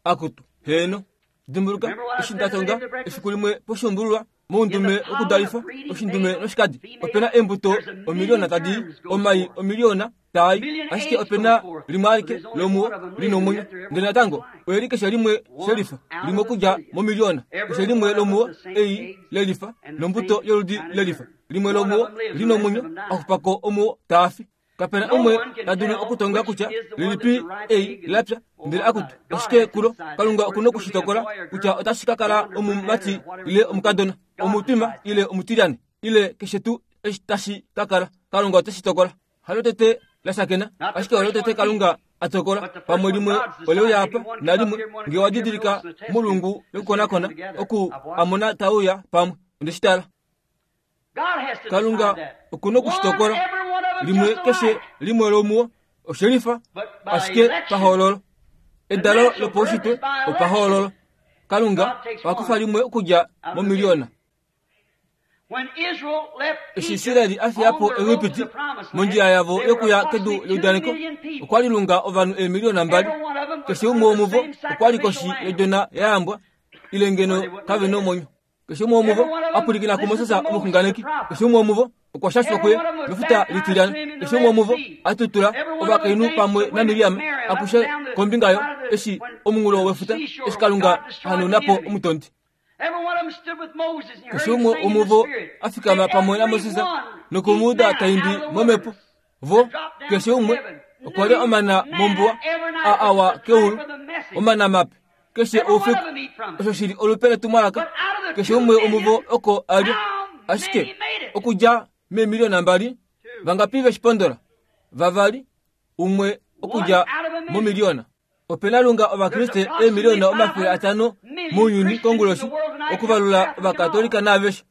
akutu heno. Dimbuluka eshi ndatonga efiku limwe poshumbululwa moundume okudalifa oshindume noshikadi. Opena embuto omiliona tadi omai omiliona tai, ashike opena limwe alike lomuwo lina omwenyo. Ndele natango oyeli keshe limwe shelifa limwe okudja momiliona keshe limwe lomuwo ei lelifa nombuto yoludi lelifa limwe lomuwo lina omwenyo axupako omuwo taafi. Kapena umwe ta dulu okutonga kutya lilipi ei lapya ndele akutu ashike kulo Kalunga okuna okushitokola kutya otashi ka kala omumati ile omukadona, omutwima ile omutilyane ile keshe tuu eshi tashi ka kala. Kalunga oteshi tokola. Halo tete lashakena ashike olo tete Kalunga atokola pamwe limwe oleuya apa nalimwe nge wadidilika mulungu lokukonakona oku amona tauya pamwe ondeshitala. Kalunga okuna okushitokola limwe keshe limwe lomuwo oshelifa ashike pahoololo. Edalo lopaushitwe opahoololo. Kalunga wakufa limwe okudja momiliona. Eshi Israeli a fiya po Egipiti mondjila yavo yokuya kedu leudaneko, okwa lilunga ovanhu eemiliona mbali. Keshe umwe womuvo okwa li koshi yodjona ya yambwa ile ngeno kave nomwenyo. Keshe umwe womuvo a pwilikina kuMoses omuxunganeki. Keshe umwe womuvo okwa shashwa kuye mefuta litilyana. Keshe umwe womuvo a tutula ovakainhu pamwe naMiriam akushe kombinga yo eshi omunghulo wefuta eshi Kalunga hanauna po omutondi. Keshe umwe womuvo a fikama pamwe naMoses nokumuuda taimbi momhepo. Vo keshe umwe okwa lya omana mombuwa a awa keulu, omana mape keshe oufiku. Osho shili olupe letumwalaka. Keshe umwe womuvo oko a lya ashike okudja meemiliona mbali vangapi veshipondola? Vavali, umwe okudja momiliona. Opena lunga ovakriste eemiliona omafele atano mounyuni konguloshi okuvalula ovakatolika naaveshe.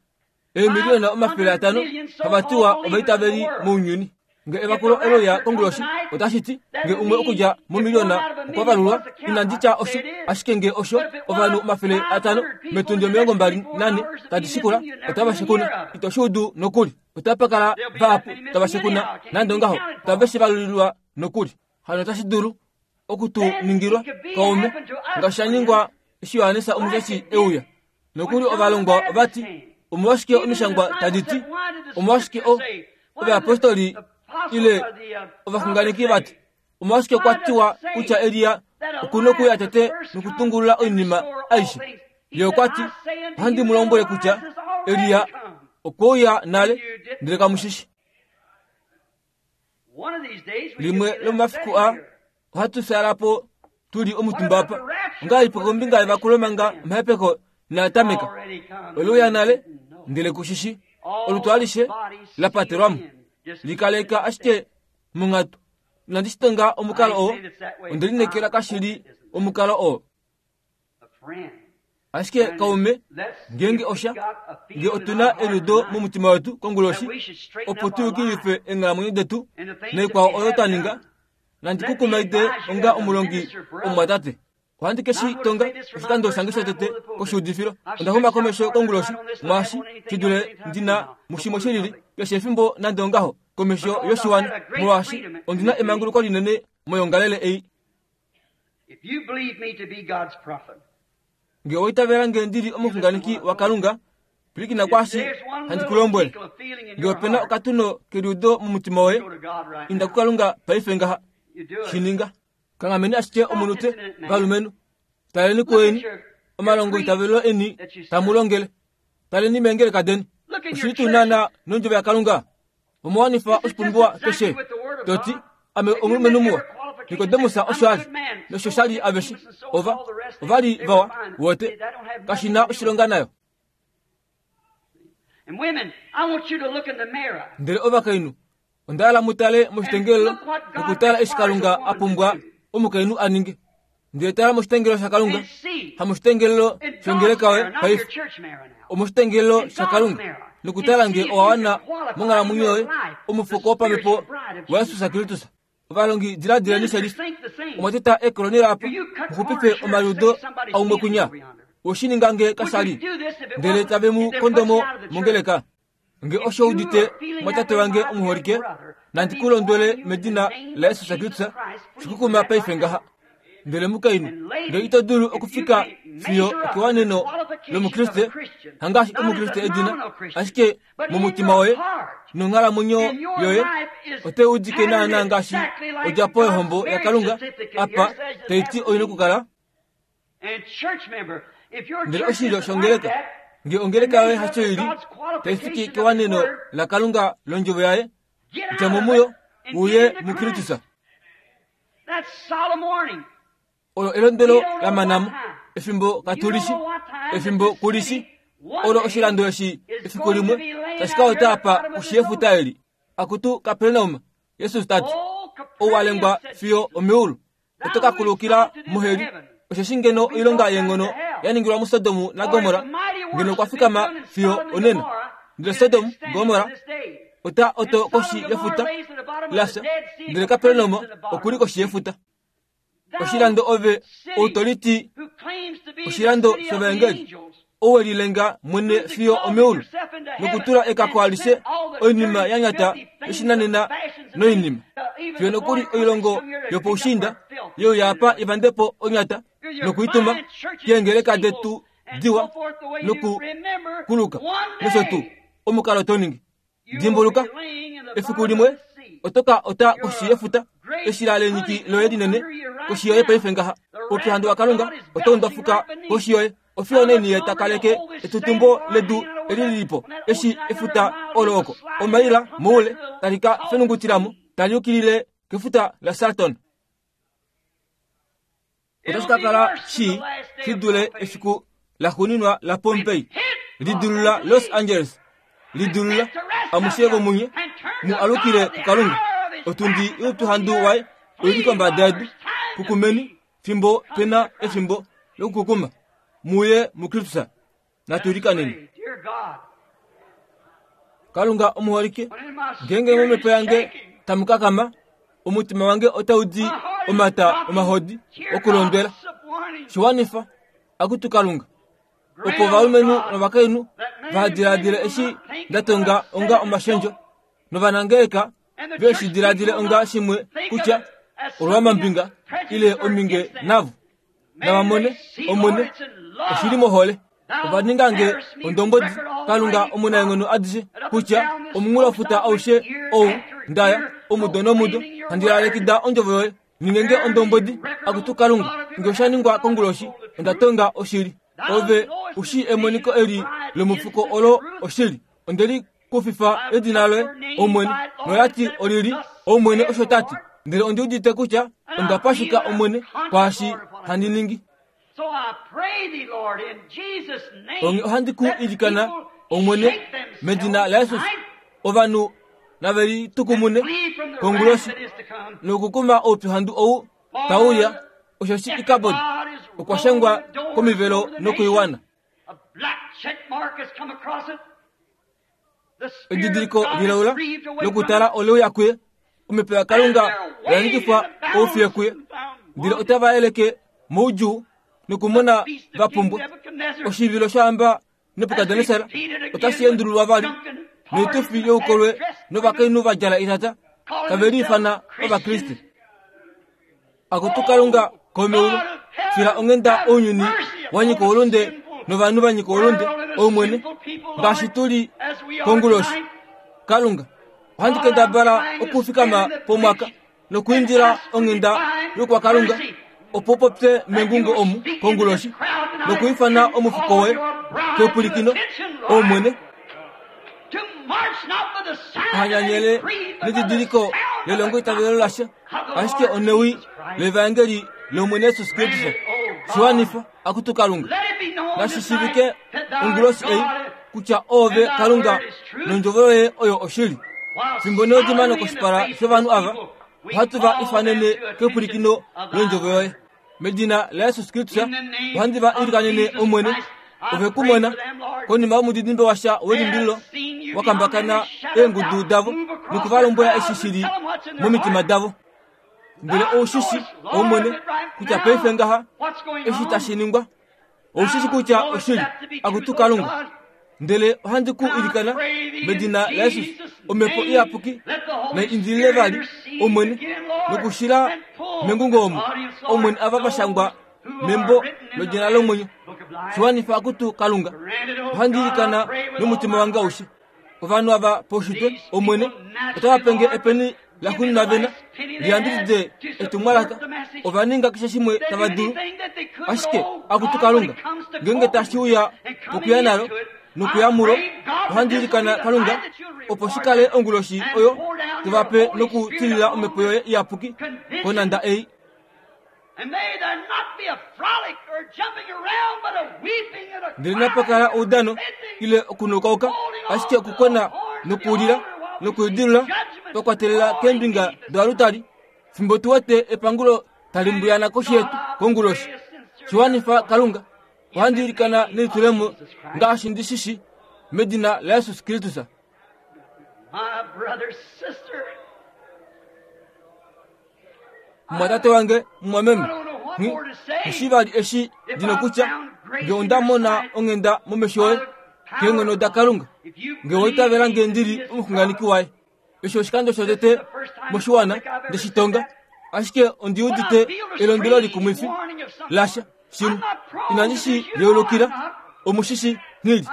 Eemiliona omafele atano havatiwa ovaitaveli mounyuni. Nge evakulo oloya konguloshi otashi ti nge umwe okudja momiliona okwa valulwa, inandi tya osho, ashike nge osho ovanhu omafele atano metundi omilongo mbali nane tadi shikula otava shekuna. Ito shuudu nokuli. Otapa kala vahapu tava shekuna nande ongaho tave shi valulilwa nokuli. Hano otashi dulu okutuningilwa kaume ngaashi sha ningwa eshi Johannes Omushashi euya. Nokuli ovalongwa ovati omolwashike omishangwa tadi ti, omolwashike o ovayapostoli ile ovaxunganeki vati, omolwashike kwa tiwa kutya Elia okuna okuya tete nokutungulula oinima aishe. Ye okwa ti, ohandi mu lombwele kutya Elia okweuya nale ndele kamushishi. Limwe lomomafiku a ohatu fyala po tuli omutumba apa. Ongahelipi kombinga yevakulo manga omahepeko inaa tameka? Oleuya nale ndele kushishi. Olutu alishe la patelwamo likaleka ashike monghatu. Inandi shitonga omukalo oo, onde lineekela kashili omukalo oo. Ashike kaume, ngeenge osha nge otuna eliudo momutima wetu konguloshi opo tu yukilife eenghalamwenyo detu noikwao oyo twa ninga, nandi ku kumaide onga omulongi omumwatate. Ohandi ke shi tonga oshikando shange shotete koshuudifilo. Onda xuma komesho konguloshi mwaashi shi dule ndina mushimwe shilili keshe efimbo nande ongaho komesho yoshiwana, molwaashi ondina emanguluko linene moyongalele ei. Nge owaitavela nge ndili omuxunganeki waKalunga, pwilikina kwaashi handi ku lombwele. Nge opena okatuno keliudo momutima woye, inda kuKalunga paife ngaha. Shi ninga. Kanghameni ashike omunute, valumenhu. Taleni kueni omalongo itavelo eni tamu longele. Taleni meengeleka deni. Oshili tuu naana nondjovo yaKalunga? Omwawanifa oshipumbiwa keshe. Toti, ame omulumenhu muwa. Nikodemus osho ali, nosho shali aveshe. Ova, ovali vawa, wote. Kashina oshilonga nayo. Ndele ovakainhu, onda hala mu tale moshitengelelo nokutala eshi Kalunga a pumbwa omukainhu a ninge. Ndele tala moshitengelelo shaKalunga, hamoshitengelelo shongeleka yoye paife, omoshitengelelo shaKalunga, nokutala nge owa wana monghalamwenyo yoye omufuko wopamhepo waJesus Kristus. Ovalongi diladileni shelifa. Omwa teta ekolonela apa muxupife omaliudo aumwe kunya. Oshininga nge kashali ndele tave mu kondomo mongeleka. Nge osho udite mwatate wange omuholike, nandi ku londwele medina laJesus Kristus, shikukuma paife ngaha. Ndele mukainhu, nge ito dulu okufika fiyo okewaneno lomukriste, hangaashi omukriste edina, ashike momutima woye nonghalamwenyo yoye ote udike naana ngaashi odjapo yohombo yaKalunga apa taiti oina okukala. Ndele oshilyo shongeleka, nge ongeleka yoye hasho ili taifiki kewaneno laKalunga londjovo yaye, dja mo muyo uye muKristus. Olo elondwelo lamanamo efimbo katulishi efimbo kulishi olo oshilando eshi efiku limwe tashi ka ota apa koshi yefuta eli. Akutu Kapernaum, Jesus tati ouwalengwa fiyo omeulu oto ka kulukila moheli. Osheshi ngeno oilonga yeenghono ya ningilwa muSodom naGomorra ngeno okwa fikama fiyo onena. Ndele Sodom Gomorra ota oto koshi yefuta lafya, ndele Kapernaum okuli koshi yefuta. Oshilando ove outoliti oshilando shovaengeli owelilenga mwene fiyo omeulu nokutula ekako alishe oinima ya nyata yoshinanena noinima fiyo nokuli oilongo yopoushinda yeuya apa ivandepo onyata nokuituma keengeleka detu diwa nokukuluka nosho tuu omukalo toningi. Dimbuluka efiku limwe otoka ota koshi yefuta eshila lenyiki loye linene koshi yoye paife ngaha. Oupyuhandu waKalunga otau ndwafuka koshi yoye. Ofiyo neni ye takaleke etutumbo ledu eli lilipo eshi efuta olo oko omaila moule tali ka fenungutilamo tali yukilile kefuta la Salton. Otashi ka kala shi shidule efiku laxuuninwa la Pompei lidulula Los Angeles lidulula amushe vomunye mu alukile kuKalunga. Otundi youpyuhandu waye oili kombada yedu. Kukumeni fimbo pena efimbo lokukukuma muye muKristus. Natulikaneni. Kalunga omuholike, ngenge momhepo yange tamukakama, omutima wange otaudi omata omahodi okulondwela. Shiwanifa akutu Kalunga, opo ovalumenhu novakainhu vahadiladile eshi ndatonga onga omashendjo, novanangeleka veshidiladile onga shimwe kutya olwamambinga ile ominge navo. Navamone omwene oshili mohole. Ovaningange ondombodi Kalunga omunaenghono adishe kutya omunghulofuta aushe ou ndaya omudo nomudo handi lalekida ondjovo yoye. Ningenge ondombodi akutu Kalunga, nge osha ningwa konguloshi onda tonga oshili. Ove ushi emoniko eli lomufuko olo oshili. Ondeli kufifa edina loye Omwene, nolati olili Omwene osho tati. Ndele ondi udite kutya onda pashika Omwene kwaashi handi ningi. Onge ohandi ku ilikana Omwene medina laJesus, ovanhu nave litukumune konguloshi nokukuma oupyuhandu ou tauya. Osheshi Ikabod okwa shangwa komivelo nokoiwana. Edidiliko lilaula lokutala oleuya kuye, omhepo yaKalunga oya nyikifwa oufiye kuye. Ndele otava yeleke moudjuu nokumona va pumbwa. Oshivilo shohamba Nebukadnesar otashi endululwa vali noitufi youkolwe novakainhu va djala itata tave liifana Ovakriste. Akutu Kalunga komeulu, fila onghenda ounyuni wa nyika oulunde novanhu va nyika oulunde, Omwene, ngaashi tuli konguloshi. Kalunga, ohandi kendabala okufikama pomwaka nokuindila onghenda yokwaKalunga opo popye mengungo omu konguloshi nokuifana omufuko woye kepulikino Omwene. Ohanyanyele nedidiliko lelongo itavelo lasha, ashike onewi levaengeli lOmwene Jesus Kristus. Shiwanifa akutu Kalunga, nashishivike onguloshi ei kutya ove Kalunga nondjovo yoye oyo oshili. Fimbo neodimano koshipala shovanhu ava, ohatu va ifanene kepulikino londjovo yoye. Medina laJesus Kristus ohandi va ilikanene Omwene. Ove kumona konima yomudidimbe washa welimbililo wakambakana eengudu davo nokuvalombwela eshi shili momitima davo. Ndele oushishi Omwene kutya paife ngaha eshi tashi ningwa, oushishi kutya oshili akutu Kalunga. Ndele ohandi ku ilikana medina laJesus, omhepo iyapuki nai indilile vali Omwene nokushila mengungo omu Omwene ava va shangwa membo lodina lomwenyo. Shiwanifa akutu Kalunga, ohandi ilikana nomutima wange aushe. Ovanhu ava poushitwe Omwene otava penge epeni laxuuninwa vena liyambidide etumwalaka. Ova ninga keshe shimwe tava dulu, ashike akutu Kalunga, ngenge tashi uya pokuya nalo Nokuyamulo ohandi ilikana Kalunga opo shi kale onguloshi oyo tuvape nokutilila omhepo yoye iyapuki konanda ei. Ndele napa kala oudano ile okunukauka, ashike okukona nokulila nokulidilula twakwatelela keembinga doalutali fimbo tu wete epangulo tali mbuyana koshi yetu konguloshi. Shiwanifa Kalunga, ohandi ilikana nelitulemo ngaashi ndi shishi medina laJesus Kristus. Mumwatate wange mumwameme, nghi vali eshi ndina kutya nge onda mona onghenda momesho oye keenghono daKalunga, nge oitavela nge ndili omuxunganeki waye. Eshi oshikando shotete moshiwana ndeshitonga, ashike ondi udite elondwelo likumwifi lasha shimwe inandi shi yeulukila omushishi nghili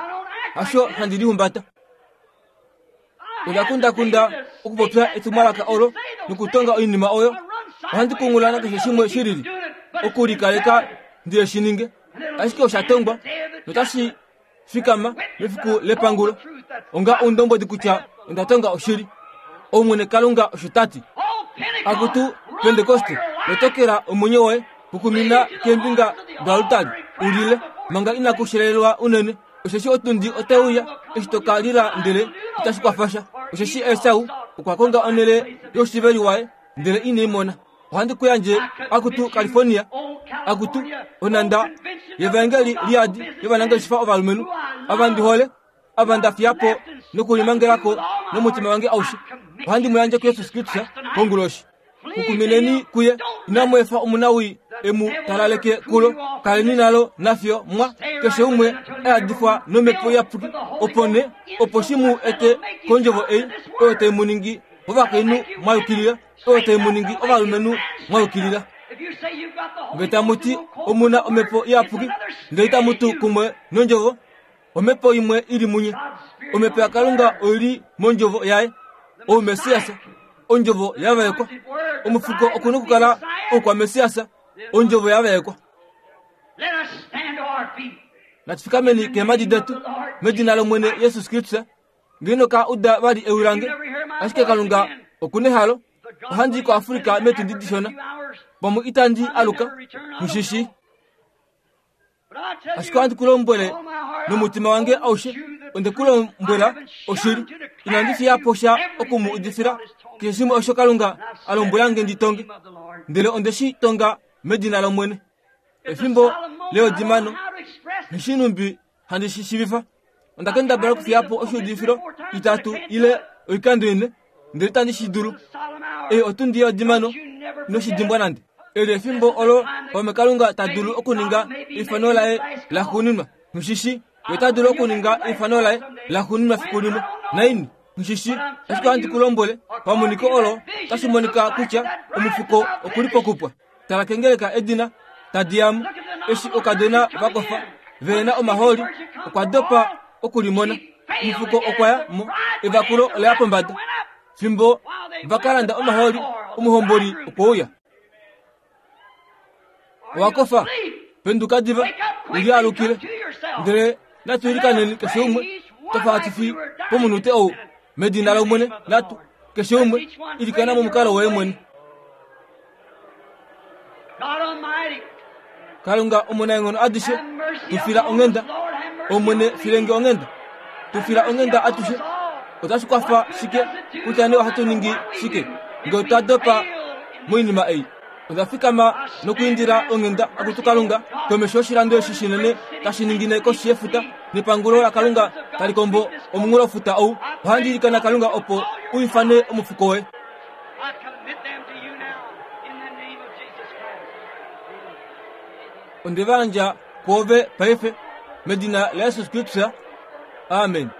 hasho handi lihumbata. Onda kundakunda okupopya etumwalaka olo nokutonga oinima oyo. Ohandi kungulana keshe shimwe shilili okulikaleka ndiye shininge, ashike oshatongwa notashi fikama mefiku lepangulo onga oundombwedi kutya onda tonga oshili. Omwene Kalunga osho tati. Akutu Pentekoste, lotokela omwenyo woye kukumina keembinga doalutali ulile manga inakushelelwa unene. Osheshi otundi otauya eshi toka lila ndele itashi kwafasha. Osheshi Esau okwa konga onhele yoshiveli waye ndele ine imona. Ohandi kuyandje akutu California, akutu onanda yevangeli liadi yovanangeshefa ovalumenhu ava ndi hole, ava nda fiyapo nokulimangelako nomutima wange aushe. Ohandi mu yandje kuJesus Kristus konguloshi. Kukumineni kuye, inamu efa omunawii emu talaleke kulo. Kaleni nalo nafyo mwa keshe umwe ayadifwa nomhepo iyapuki, opo ne opo shi mu ete kondjovo ei oyo tai mu ningi ovakainhu mwa yukilila, oyo tai mu ningi ovalumenhu mwa yukilila. Nge tamu ti omuna omhepo iyapuki ndele itamu tu kumwe nondjovo, omhepo imwe ili munye. Omhepo yaKalunga oili mondjovo yaye, ouMessias, ondjovo yavaekwa. Omufuko okuna okukala oukwaMessias, ondjovo yavaekwa. Natufikameni keemhadi detu medina lOmwene Jesus Kristus. Ngeno ka uda vali ewi lange, ashike Kalunga okuna ehalo. Ohandi i koAfrika meetundi dishona, pamwe itandi aluka mushishi. Ashike ohandi ku lombwele nomutima wange aushe, onde ku lombwela oshili. Inandi fiyapo sha oku mu udifila keshe shimwe osho Kalunga a lombwela nge ndi tonge, ndele onde shi tonga medina lOmwene. Efimbo leodimano nishinumbi handi shi shivifa. Onda kendabala okufiyapo oshiudifilo itatu ile oikando ine, ndele itandi shi dulu. Ei otundi yeodimano inoshi dimbwa nande. Eli efimbo olo pamwe Kalunga ta dulu okuninga eifano laye laxuuninwa. Mushishi ye ota dulu okuninga eifano laye laxuuninwa fiku limwe. Naini mushishi, ashike ohandi ku lombwele pamoniko olo otashi monika kutya omufuko okuli pokupwa. Tala kengeleka edina tadi yamu eshi okadona vakofa vena omahooli okwa dopa okulimona. Omufuko okwa ya mo, evakulo ola ya pombada. Fimbo vakalanda omahooli, omuhomboli okwe uya. Owakofa, penduka diva, ulialukile. Ndele natu ilikaneni keshe umwe twafa hatu fi pomunute ou medina lOmwene. Natu keshe umwe ilikana momukalo woye mwene. Kalunga omunaenghono adishe, tufila onghenda. Omwene filenge onghenda, tufila onghenda atushe. Otashi kwafa shike kutya nee ohatu ningi shike nge otwa dopa moinima ei? Onda fikama nokuindila onghenda akutu Kalunga komesho yoshilando eshi shinene tashi ningine koshi yefuta nepangulo laKalunga tali kombo omunghulofuta ou. Ohandi ilikana Kalunga opo u ifane omufuko woye. Onde va yandja kwoove paife medina laJesus Kristus. Amen.